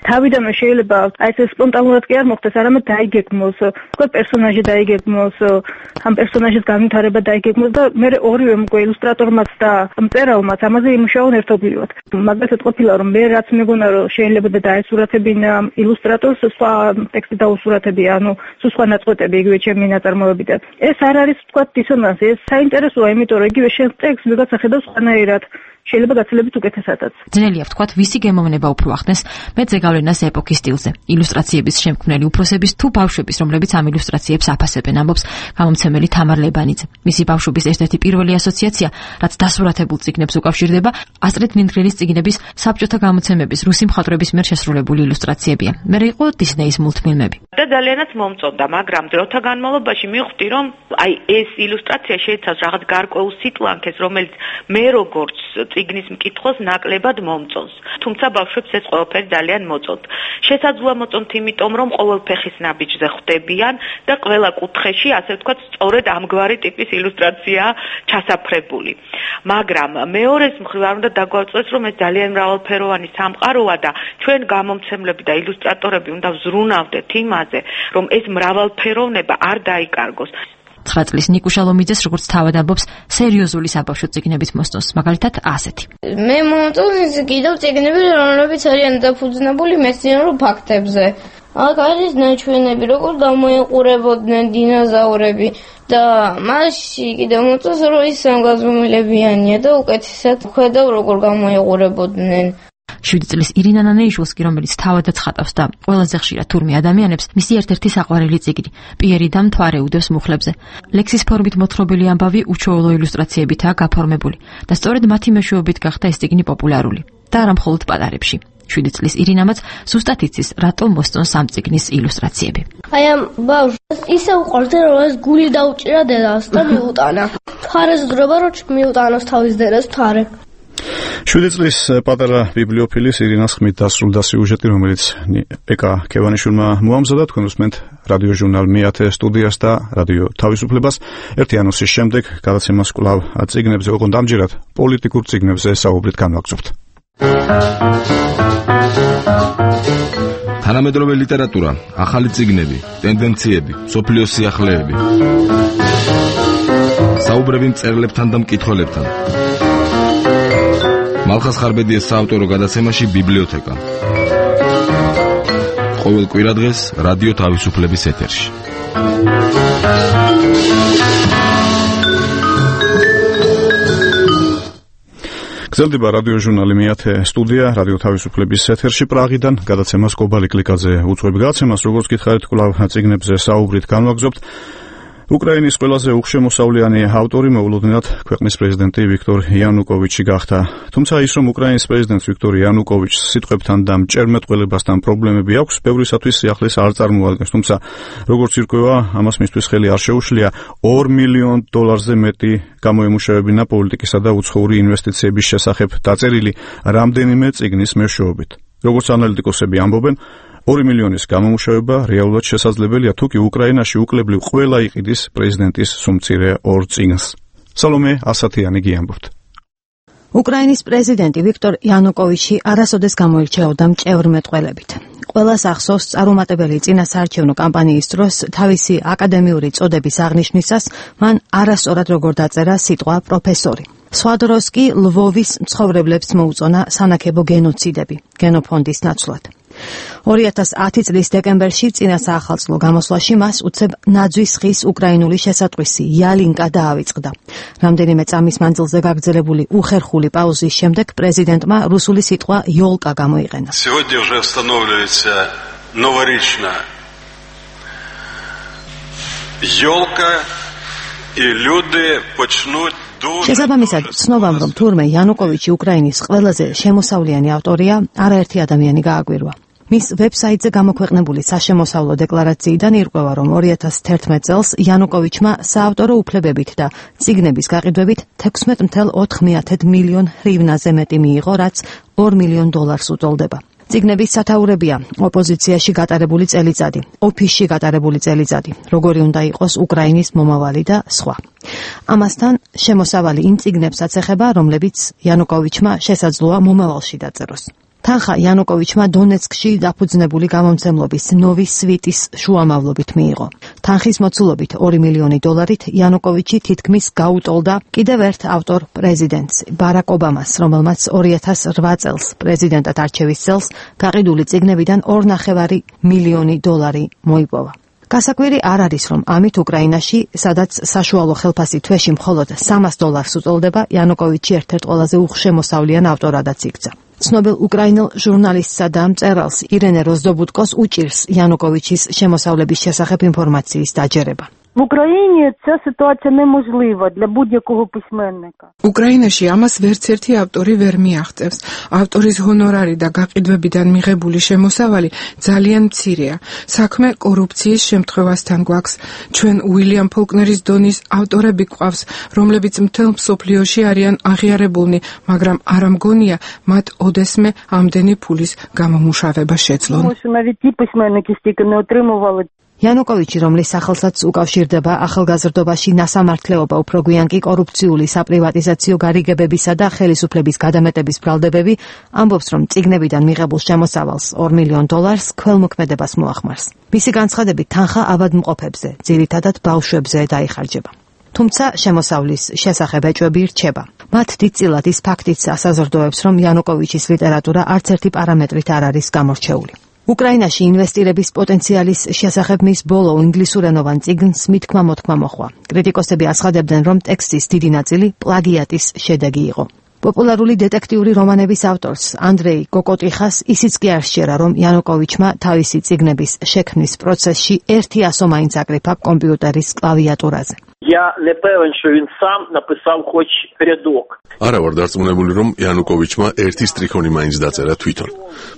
თავიდანვე შეიძლება აი ეს სპონტანურად კი არ მოხდეს, არამედ დაიგეგმოს, თქვა პერსონაჟი დაიგეგმოს, ამ პერსონაჟის განვითარება დაიგეგმოს და მე ორივე უკვე ილუსტრატორმაც და მწერალმაც ამაზე იმუშაონ ერთობლივად. მაგალითად ყოფილა, რომ მე რაც მეგონა, რომ შეიძლება დაესურათებინა ილუსტრატორს, სხვა ტექსტი დაუსურათებია, ანუ სხვა ნაწყვეტები იგივე ჩემი ნაწარმოებიდან. ეს არ არის თქვა დისონანსი, ეს საინტერესოა, იმიტომ რომ იგივე შენ ტექსტს ვიღაცა ხედავს სხვანაირად. შეიძლება გაცილებით უკეთესადაც. ძნელია ვთქვათ, ვისი გემოვნება უფრო ახდენს მეძე გავლენას ეპოქის სტილზე. ილუსტრაციების შემქმნელი უფროსების თუ ბავშვების, რომლებიც ამ ილუსტრაციებს აფასებენ, ამბობს გამომცემელი თამარ ლებანიძე. მისი ბავშვობის ერთ-ერთი პირველი ასოციაცია, რაც დასურათებულ წიგნებს უკავშირდება, ასტრიდ ლინდგრენის წიგნების საბჭოთა გამოცემების რუსი მხატვრების მიერ შესრულებული ილუსტრაციებია. მე იყო დისნეის მულტფილმები. და ძალიანაც მომწონდა, მაგრამ დროთა განმავლობაში მივხვდი, რომ აი ეს ილუსტრაცია შეიცავს რაღაც გარკვეულ სიტლანქეს, რომელიც მე როგორც წიგნის მკითხველს ნაკლებად მომწონს. თუმცა ბავშვებს ეს ყველაფერი ძალიან მოწონთ. შესაძლოა მოწონთ, იმიტომ რომ ყოველ ფეხის ნაბიჯზე ხვდებიან და ყველა კუთხეში, ასე ვთქვათ, სწორედ ამგვარი ტიპის ილუსტრაციაა ჩასაფრებული. მაგრამ მეორეს მხრივ არ უნდა დაგვაწყვეტს, რომ ეს ძალიან მრავალფეროვანი სამყაროა და ჩვენ გამომცემლები და ილუსტრატორები უნდა ვზრუნავდეთ იმაზე, რომ ეს მრავალფეროვნება არ დაიკარგოს. 9 წლის ნიკუშა ლომიძეს, როგორც თავად ამბობს, სერიოზული საბავშვო წიგნებით მოსწონს, მაგალითად ასეთი. მე მომწონს კიდევ წიგნები, რომლებიც არიან დაფუძნებული მეცნიერულ ფაქტებზე. აქ არის ნაჩვენები, როგორ გამოიყურებოდნენ დინოზავრები და მასში კიდევ მომწონს, რომ ის სამგაზომილებიანია და უკეთესად ხედავ, როგორ გამოიყურებოდნენ. 7 წლის ირინა ნანეიშვილს კი, რომელიც თავადაც ხატავს და ყველაზე ხშირად თურმე ადამიანებს, მისი ერთ-ერთი საყვარელი წიგნი პიერი და მთვარე უდევს მუხლებზე. ლექსის ფორმით მოთხრობილი ამბავი უჩვეულო ილუსტრაციებითაა გაფორმებული და სწორედ მათი მეშვეობით გახდა ეს წიგნი პოპულარული და არა მხოლოდ პატარებში. 7 წლის ირინამაც ზუსტად იცის, რატომ მოსწონს ამ წიგნის ილუსტრაციები. აი ამ ბავშვს ისე უყვარდა, რომ ეს გული დაუჭირა დედას და მიუტანა. მთვარეს დროება, რომ მიუტანოს თავის დედას მთვარე. 7 წლის პატარა ბიბლიოფილის ირინას ხმით დასრულდა სიუჟეტი, რომელიც ეკა ქევანიშვილმა მოამზადა. თქვენ უსმენთ რადიო ჟურნალ მე-10 სტუდიას და რადიო თავისუფლებას. ერთი ანონსის შემდეგ გადაცემას კვლავ წიგნებზე, ოღონდ ამჯერად პოლიტიკურ წიგნებზე საუბრით განვაგრძობთ. თანამედროვე ლიტერატურა, ახალი წიგნები, ტენდენციები, მსოფლიოს სიახლეები. საუბრები მწერლებთან და მკითხველებთან. მალხას ხარბედიას საავტორო გადაცემაში ბიბლიოთეკა. ყოველ კვირადღეს რადიო თავისუფლების ეთერში. გრძელდება რადიო ჟურნალი მეათე სტუდია რადიო თავისუფლების ეთერში პრაღიდან გადაცემას კობალი კლიკაძე უძღვები გადაცემას როგორც გითხარით კვლავ წიგნებზე საუბრით განვაგრძობთ. უკრაინის ყველაზე უხშემოსავლიანი ავტორი მოულოდნელად ქვეყნის პრეზიდენტი ვიქტორ იანუკოვიჩი გახდა. თუმცა ის რომ უკრაინის პრეზიდენტს ვიქტორ იანუკოვიჩს სიტყვებთან და მჭერმეტყველებასთან პრობლემები აქვს, ბევრისათვის სიახლეს არ წარმოადგენს. თუმცა როგორც ირკვევა, ამას მისთვის ხელი არ შეუშლია $2 მილიონ მეტი გამოემუშავებინა პოლიტიკისა და უცხოური ინვესტიციების შესახებ დაწერილი რამდენიმე წიგნის მეშვეობით. როგორც ანალიტიკოსები ამბობენ, 2 მილიონის გამომუშავება რეალურად შესაძლებელია თუკი უკრაინაში უკლებლივ ყველა იყიდის პრეზიდენტის სუმცირე 2 წიგნს. სალომე ასათიანი გიამბობთ. უკრაინის პრეზიდენტი ვიქტორ იანუკოვიჩი არასოდეს გამოირჩეოდა მჭევრმეტყველებით. ყველას ახსოვს წარუმატებელი წინასაარჩევნო კამპანიის დროს თავისი აკადემიური წოდების აღნიშვნისას მან არასწორად როგორ დაწერა სიტყვა პროფესორი. სხვა დროს კი ლვოვის მცხოვრებლებს მოუწონა სანაქებო გენოციდები გენოფონდის ნაცვლად. 2010 წლის დეკემბერში წინა საახალწლო გამოსვლაში მას უცებ ნაძვის ხის უკრაინული შესატყვისი ялინკა დაავიწყდა. რამდენიმე წამის მანძილზე გაგრძელებული უხერხული პაუზის შემდეგ პრეზიდენტმა რუსული სიტყვა ёлка გამოიყენა. Сегодня уже устанавливается новоречная ёлка и люди почнут შესაბამისად, ცნობამ რომ თურმე იანუკოვიჩი უკრაინის ყველაზე შემოსავლიანი ავტორია, არაერთი ადამიანი გააგვირვა. მის ვებსაიტზე გამოქვეყნებული საშემოსავლო დეკლარაციიდან ირკვევა, რომ 2011 წელს იანუკოვიჩმა საავტორო უფლებებით და წიგნების გაყიდვებით $16.4 მილიონ ჰრივნაზე მეტი მიიღო, რაც $2 მილიონ უტოლდება. წიგნების სათაურებია ოპოზიციაში გატარებული წელიწადი, ოფისში გატარებული წელიწადი, როგორი უნდა იყოს უკრაინის მომავალი და სხვა. ამასთან შემოსავალი იმ წიგნებსაც ეხება, რომლებიც იანუკოვიჩმა შესაძლოა მომავალში დაწეროს. თანხა იანუკოვიჩმა დონეცკში დაფუძნებული გამომცემლობის ნოვი სვიტის შუამავლობით მიიღო. თანხის მოცულობით $2 მილიონი იანუკოვიჩი თითქმის გაუტოლდა კიდევ ერთ ავტორ პრეზიდენტს ბარაკ ობამას, რომელმაც 2008 წელს პრეზიდენტად არჩევის წელს გაყიდული წიგნებიდან $2.5 მილიონი მოიპოვა. გასაკვირი არ არის, რომ ამით უკრაინაში, სადაც საშუალო ხელფასი თვეში მხოლოდ $300 უტოლდება, იანუკოვიჩი ერთ-ერთ ყველაზე უხშემოსავლიან ავტორადაც იქცა. ცნობილ უკრაინელ ჟურნალისტსა და მწერალს ირენე როზდობუტკოს უჭირს იანუკოვიჩის შემოსავლების შესახებ ინფორმაციის დაჯერება. В Україні ця ситуація неможлива для будь-якого письменника. უკრაინაში ამას ვერც ერთი ავტორი ვერ მიაღწევს. ავტორის ჰონორარი და გაყიდვებიდან მიღებული შემოსავალი ძალიან მცირეა. საქმე კორუფციის შემთხვევასთან გვაქვს. ჩვენ უილიამ ფოლკნერის დონის ავტორები გვყავს, რომლებიც მთელ მსოფლიოში არიან აღიარებულნი, მაგრამ არ მგონია მათ ოდესმე ამდენი ფულის გამომუშავება შეძლონ. Тому що навіть ті письменники стільки не отримували. იანუკოვიჩი, რომლის სახელსაც უკავშირდება ახალგაზრდობაში насамართლეობა, უფრო გვიან კი კორუფციული საპრივატიზაციო გარიგებებისა და ხელისუფლების გადამეტების ბრალდებები, ამბობს, რომ წიგნებიდან მიღებულ შემოსავალს $2 მილიონ ქველმოქმედებას მოახმარს. მისი განცხადებით, თანხა ავადმყოფებზე, ძირითადად ბავშვებზე დაიხარჯება. თუმცა შემოსავლის შესახებ ეჭვები რჩება. მათ დიდწილად ის ფაქტიც ასაზრდოებს, რომ იანუკოვიჩის ლიტერატურა არც ერთი პარამეტრით არ არის გამორჩეული. უკრაინაში ინვესტირების პოტენციალის შესახებ მის ბოლო ინგლისურენოვან წიგნს მითქმა-მოთქმა მოხვა. კრიტიკოსები აცხადებდნენ, რომ ტექსტის დიდი ნაწილი პლაგიატის შედეგი იყო. პოპულარული დეტექტიური რომანების ავტორს ანდრეი კოკოტიხას ისიც კი არ სჯერა, რომ იანუკოვიჩმა თავისი წიგნების შექმნის პროცესში 100 მაინც აკრიფა კომპიუტერის კლავიატურაზე. Я не певен, що він сам написав хоч рядок. არა ვარ დარწმუნებული, რომ იანუკოვიჩმა ერთი სტრიქონი მაინც დაწერა თვითონ.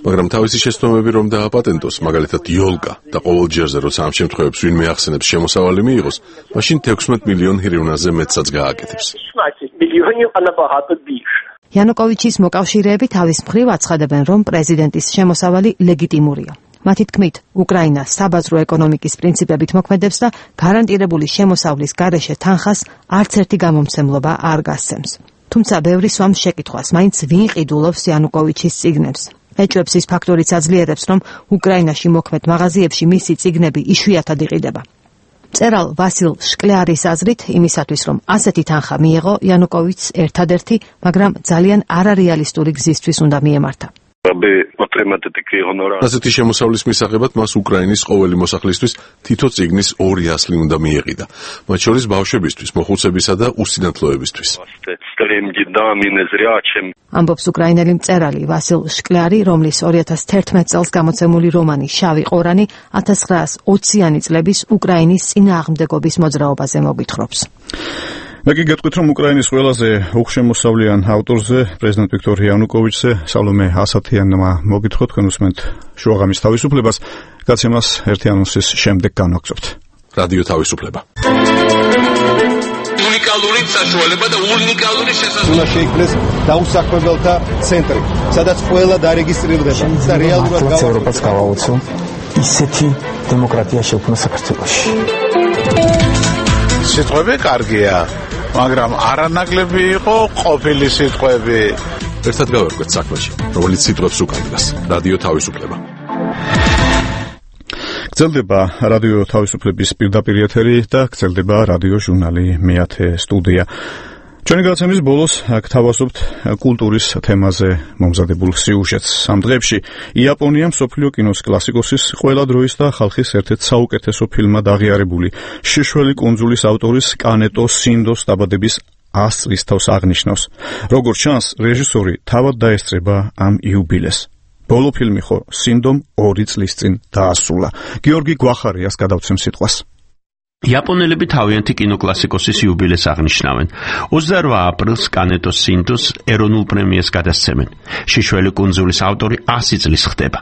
მაგრამ თავისი შეცდომები რომ დააპატენტოს, მაგალითად ёлка და ყოველ ჯერზე როცა ამ შემთხვევებს ვინმე ახსენებს შემოსავალი მიიღოს, მაშინ 16 მილიონ ჰრივნაზე მეტსაც გააკეთებს. 16 мільйонів, а набагато більше. იანუკოვიჩის მოკავშირეები თავის მხრივ აცხადებენ, რომ პრეზიდენტის შემოსავალი ლეგიტიმურია. მათი თქმით, უკრაინა საბაზრო ეკონომიკის პრინციპებით მოქმედებს და გარანტირებული შემოსავლის გარეშე თანხას არც ერთი გამომცემლობა არ გასცემს. თუმცა ბევრი სვამს შეკითხვას, მაინც ვინ ყიდულობს იანუკოვიჩის წიგნებს. ეჭვებს ის ფაქტორიც აძლიერებს, რომ უკრაინაში მოქმედ მაღაზიებში მისი წიგნები იშვიათად იყიდება. მწერალ ვასილ შკლიარის აზრით, იმისათვის რომ ასეთი თანხა მიეღო, იანუკოვიჩს ერთადერთი, მაგრამ ძალიან არარეალისტური გზისთვის უნდა მიემართა. ასეთი შემოსავლის მისაღებად მას უკრაინის ყოველი მოსახლისთვის თითო წიგნის 200 უნდა მიეყიდა, მათ შორის ბავშვებისთვის, მოხუცებისა და უსინათლოებისთვის. ამბობს უკრაინელი მწერალი ვასილ შკლიარი, რომლის 2011 წელს გამოცემული რომანი შავი ყორანი 1920-იანი წლების უკრაინის წინააღმდეგობის მოძრაობაზე მოგვითხრობს. მე კი გეტყვით, რომ უკრაინის ყველაზე უხშემოსავლიან ავტორზე, პრეზიდენტ ვიქტორ იანუკოვიჩზე, სალომე ასათიანმა მოგითხო, თქვენ უსმენთ შუაღამის თავისუფლებას, გაცემას ერთი ანონსის შემდეგ განვაგრძობთ. რადიო თავისუფლება. უნიკალური საშუალება და უნიკალური შესაძლებლობა. უნდა შეიქმნეს დაუსაქმებელთა ცენტრი, სადაც ყველა დარეგისტრირდება და რეალურად ევროპას გავაუწო ისეთი დემოკრატია შექმნა საქართველოში. სიტყვები კარგია, მაგრამ არანაკლები იყო ყოფილი სიტყვები. ერთად გავერკვეთ საქმეში, რომელიც სიტყვებს უკანდგას. რადიო თავისუფლება. გრძელდება რადიო თავისუფლების პირდაპირ ეთერი და გრძელდება რადიო ჟურნალი მეათე სტუდია. ჩვენი გადაცემის ბოლოს გთავაზობთ კულტურის თემაზე მომზადებულ სიუჟეტს. ამ დღეებში იაპონია მსოფლიო კინოს კლასიკოსის ყველა დროის და ხალხის ერთ-ერთ საუკეთესო ფილმად აღიარებული შიშველი კუნძულის ავტორის კანეტო სინდოს დაბადების 100 წლის თავს აღნიშნავს. როგორც ჩანს, რეჟისორი თავად დაესწრება ამ იუბილეს. ბოლო ფილმი ხო სინდომ 2 წლის წინ დაასრულა. გიორგი გვახარიას გადავცემ სიტყვას. იაპონელები თავიანთი კინოკლასიკოსის იუბილეს აღნიშნავენ. 28 აპრილს კანეტო სინდოს ეროვნულ პრემიას გადასცემენ. შიშველი კუნძულის ავტორი 100 წლის ხდება.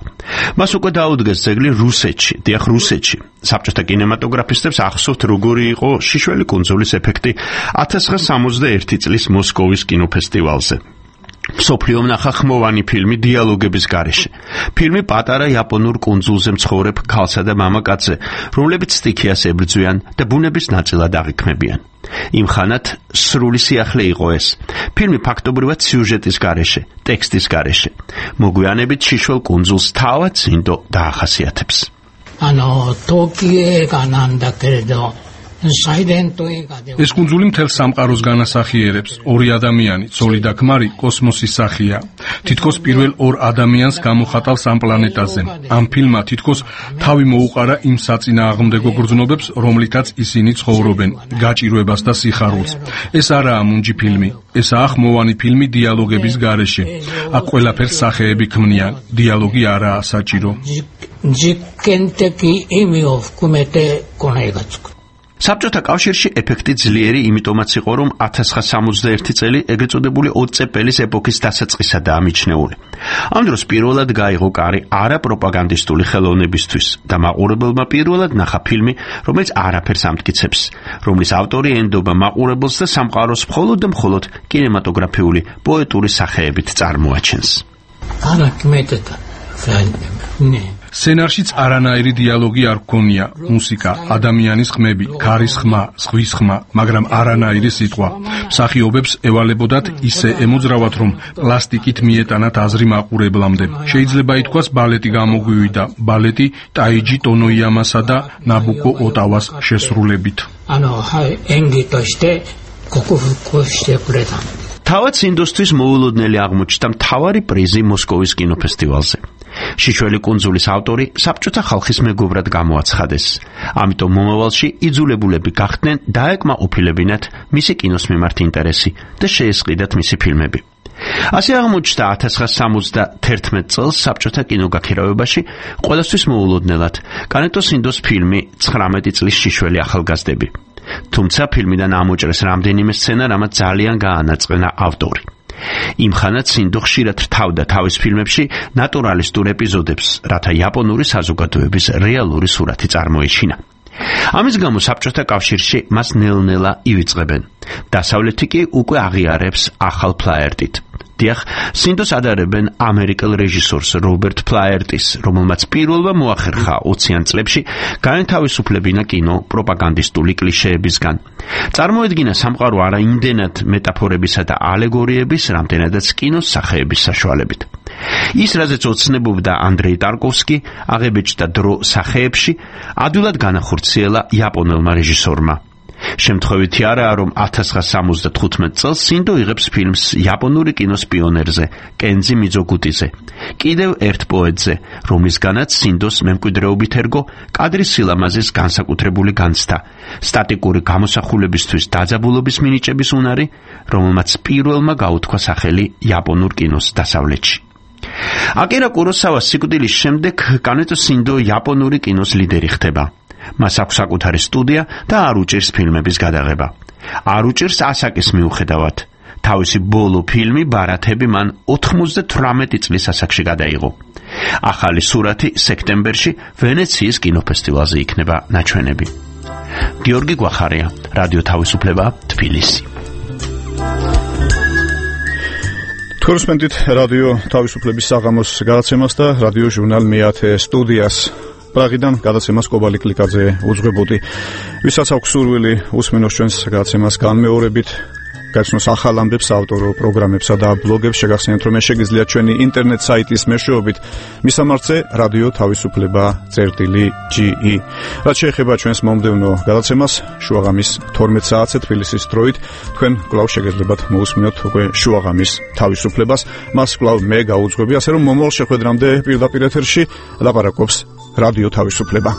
მას უკვე დაუდგეს ძეგლი რუსეთში, დიახ რუსეთში. საბჭოთა კინემატოგრაფისტებს ახსოვთ, როგორი იყო შიშველი კუნძულის ეფექტი 1961 წლის მოსკოვის კინოფესტივალზე. მსოფლიო ნახა ხმოვანი ფილმი დიალოგების გარეშე. ფილმი პატარა იაპონურ კუნძულზე მცხოვრებ ქალსა და მამაკაცზე, რომლებიც სტიქიას ებრძვიან და ბუნების ნაწილად აღიქმებიან. იმ ხანად სრული სიახლე იყო ეს. ფილმი ფაქტობრივად სიუჟეტის გარეშე, ტექსტის გარეშე. მოგვიანებით შიშველ კუნძულს თავად სინდო დაახასიათებს. ტოკიო განანდა კერდო ეს კუნძული მთელ სამყაროს განასახიერებს. 2 ადამიანი, ცოლი და ქმარი, კოსმოსის სახია. თითქოს პირველ 2 ადამიანს გამოხატავს ამ პლანეტაზე. ამ ფილმმა თითქოს თავი მოუყარა იმ საწინააღმდეგო გრძნობებს, რომლითაც ისინი ცხოვრობენ, გაჭირვებას და სიხარულს. ეს არაა მუნჯი ფილმი, ესაა ხმოვანი ფილმი დიალოგების გარეშე. აქ ყველაფერს სახეები ქმნიან, დიალოგი არაა საჭირო. საბჭოთა კავშირში ეფექტი ძლიერი იმიტომაც იყო, რომ 1961 წელი ეგრეთ წოდებული ოცეპელის ეპოქის დასაწყისადაა მიჩნეული. ამ დროს პირველად გაიღო კარი არაპროპაგანდისტული ხელოვნებისთვის და მაყურებელმა პირველად ნახა ფილმი, რომელიც არაფერს ამტკიცებს, რომლის ავტორი ენდობა მაყურებელს და სამყაროს მხოლოდ და მხოლოდ კინემატოგრაფიული პოეტური სახეებით წარმოაჩენს. სცენარშიც არანაირი დიალოგი არ გქონია, მუსიკა, ადამიანის ხმები, ქარის ხმა, ზღვის ხმა, მაგრამ არანაირი სიტყვა. მსახიობებს ევალებოდათ ისე ემოძრავათ, რომ პლასტიკით მიეტანათ აზრი მაყურებლამდე. შეიძლება ითქვას ბალეტი გამოგვივიდა, ბალეტი ტაიჯი ტონოიამასა და ნაბუკო ოტავას შესრულებით. თავად სინდოსთვის მოულოდნელი აღმოჩნდა მთავარი პრიზი მოსკოვის კინოფესტივალზე. შიშველი კუნძულის ავტორი საბჭოთა ხალხის მეგობრად გამოაცხადეს. ამიტომ მომავალში იძულებულები გახდნენ დაეკმაყოფილებინათ მისი კინოს მიმართ ინტერესი და შეესყიდათ მისი ფილმები. ასე აღმოჩნდა 1971 წელს საბჭოთა კინოგაქირავებაში ყველასთვის მოულოდნელად კანეტო სინდოს ფილმი 19 წლის შიშველი ახალგაზრდები. თუმცა ფილმიდან ამოჭრეს რამდენიმე სცენა, რამაც ძალიან გაანაწყენა ავტორი. იმ ხანად სინდო ხშირად რთავდა თავის ფილმებში ნატურალისტურ ეპიზოდებს, რათა იაპონური საზოგადოების რეალური სურათი წარმოეჩინა. ამის გამო საბჭოთა კავშირში მას ნელ-ნელა ივიწყებენ. დასავლეთი კი უკვე აღიარებს ახალ ფლაერტით. დიახ, სინდოს ადარებენ ამერიკელ რეჟისორს რობერტ ფლაერტის, რომელმაც პირველმა მოახერხა 20-იან წლებში გაენთავისუფლებინა კინო პროპაგანდისტული კლიშეებისგან. წარმოედგინა სამყარო არა იმდენად მეტაფორებისა და ალეგორიების, რამდენადაც კინოს სახეების საშუალებით. ის, რაზეც ოცნებობდა ანდრეი ტარკოვსკი, აღებეჭდა დრო სახეებში, ადვილად განახორციელა იაპონელმა რეჟისორმა. შემთხვევითი არაა, რომ 1975 წელს სინდო იღებს ფილმს იაპონური კინოს პიონერზე, კენძი მიძოგუტიზე, კიდევ ერთ პოეტზე, რომლისგანაც სინდოს მემკვიდრეობით ერგო კადრის სილამაზის განსაკუთრებული განცდა, სტატიკური გამოსახულებისთვის დაძაბულობის მინიჭების უნარი, რომელმაც პირველმა გაუთქვა სახელი იაპონურ კინოს დასავლეთში. აკირა კუროსავას სიკვდილის შემდეგ კანეტო სინდო იაპონური კინოს ლიდერი ხდება. მას აქვს საკუთარი სტუდია და არ უჭირს ფილმების გადაღება. არ უჭირს ასაკის მიუხედავად. თავისი ბოლო ფილმი ბარათები მან 98 წლის ასაკში გადაიღო. ახალი სურათი სექტემბერში ვენეციის კინოფესტივალზე იქნება ნაჩვენები. გიორგი გვახარია, რადიო თავისუფლება, თბილისი. თორსმენდით რადიო თავისუფლების საღამოს გადაცემას და რადიო ჟურნალ მეათე სტუდიას. პრაღიდან გადაცემას კობალი კლიკაძე უძღვებოდი. ვისაც აქვს სურვილი უსმენოს ჩვენს გადაცემას განმეორებით, გაიცნოს ახალ ამბებს, ავტორო პროგრამებსა და ბლოგებს, შეგახსენებთ, რომ შეგიძლიათ ჩვენი ინტერნეტ საიტის მეშვეობით მისამართზე რადიო თავისუფლება.ge. რაც შეეხება ჩვენს მომდევნო გადაცემას, შუაღამის 12 საათზე თბილისის დროით, თქვენ კვლავ შეგეძლებათ მოусმინოთ უკვე შუაღამის თავისუფლებას. მას კვლავ მე გაუძღვები, ასე რომ მომავალ შეხვედრამდე პირდაპირ ეთერში ლაპარაკობს რადიო თავისუფლება.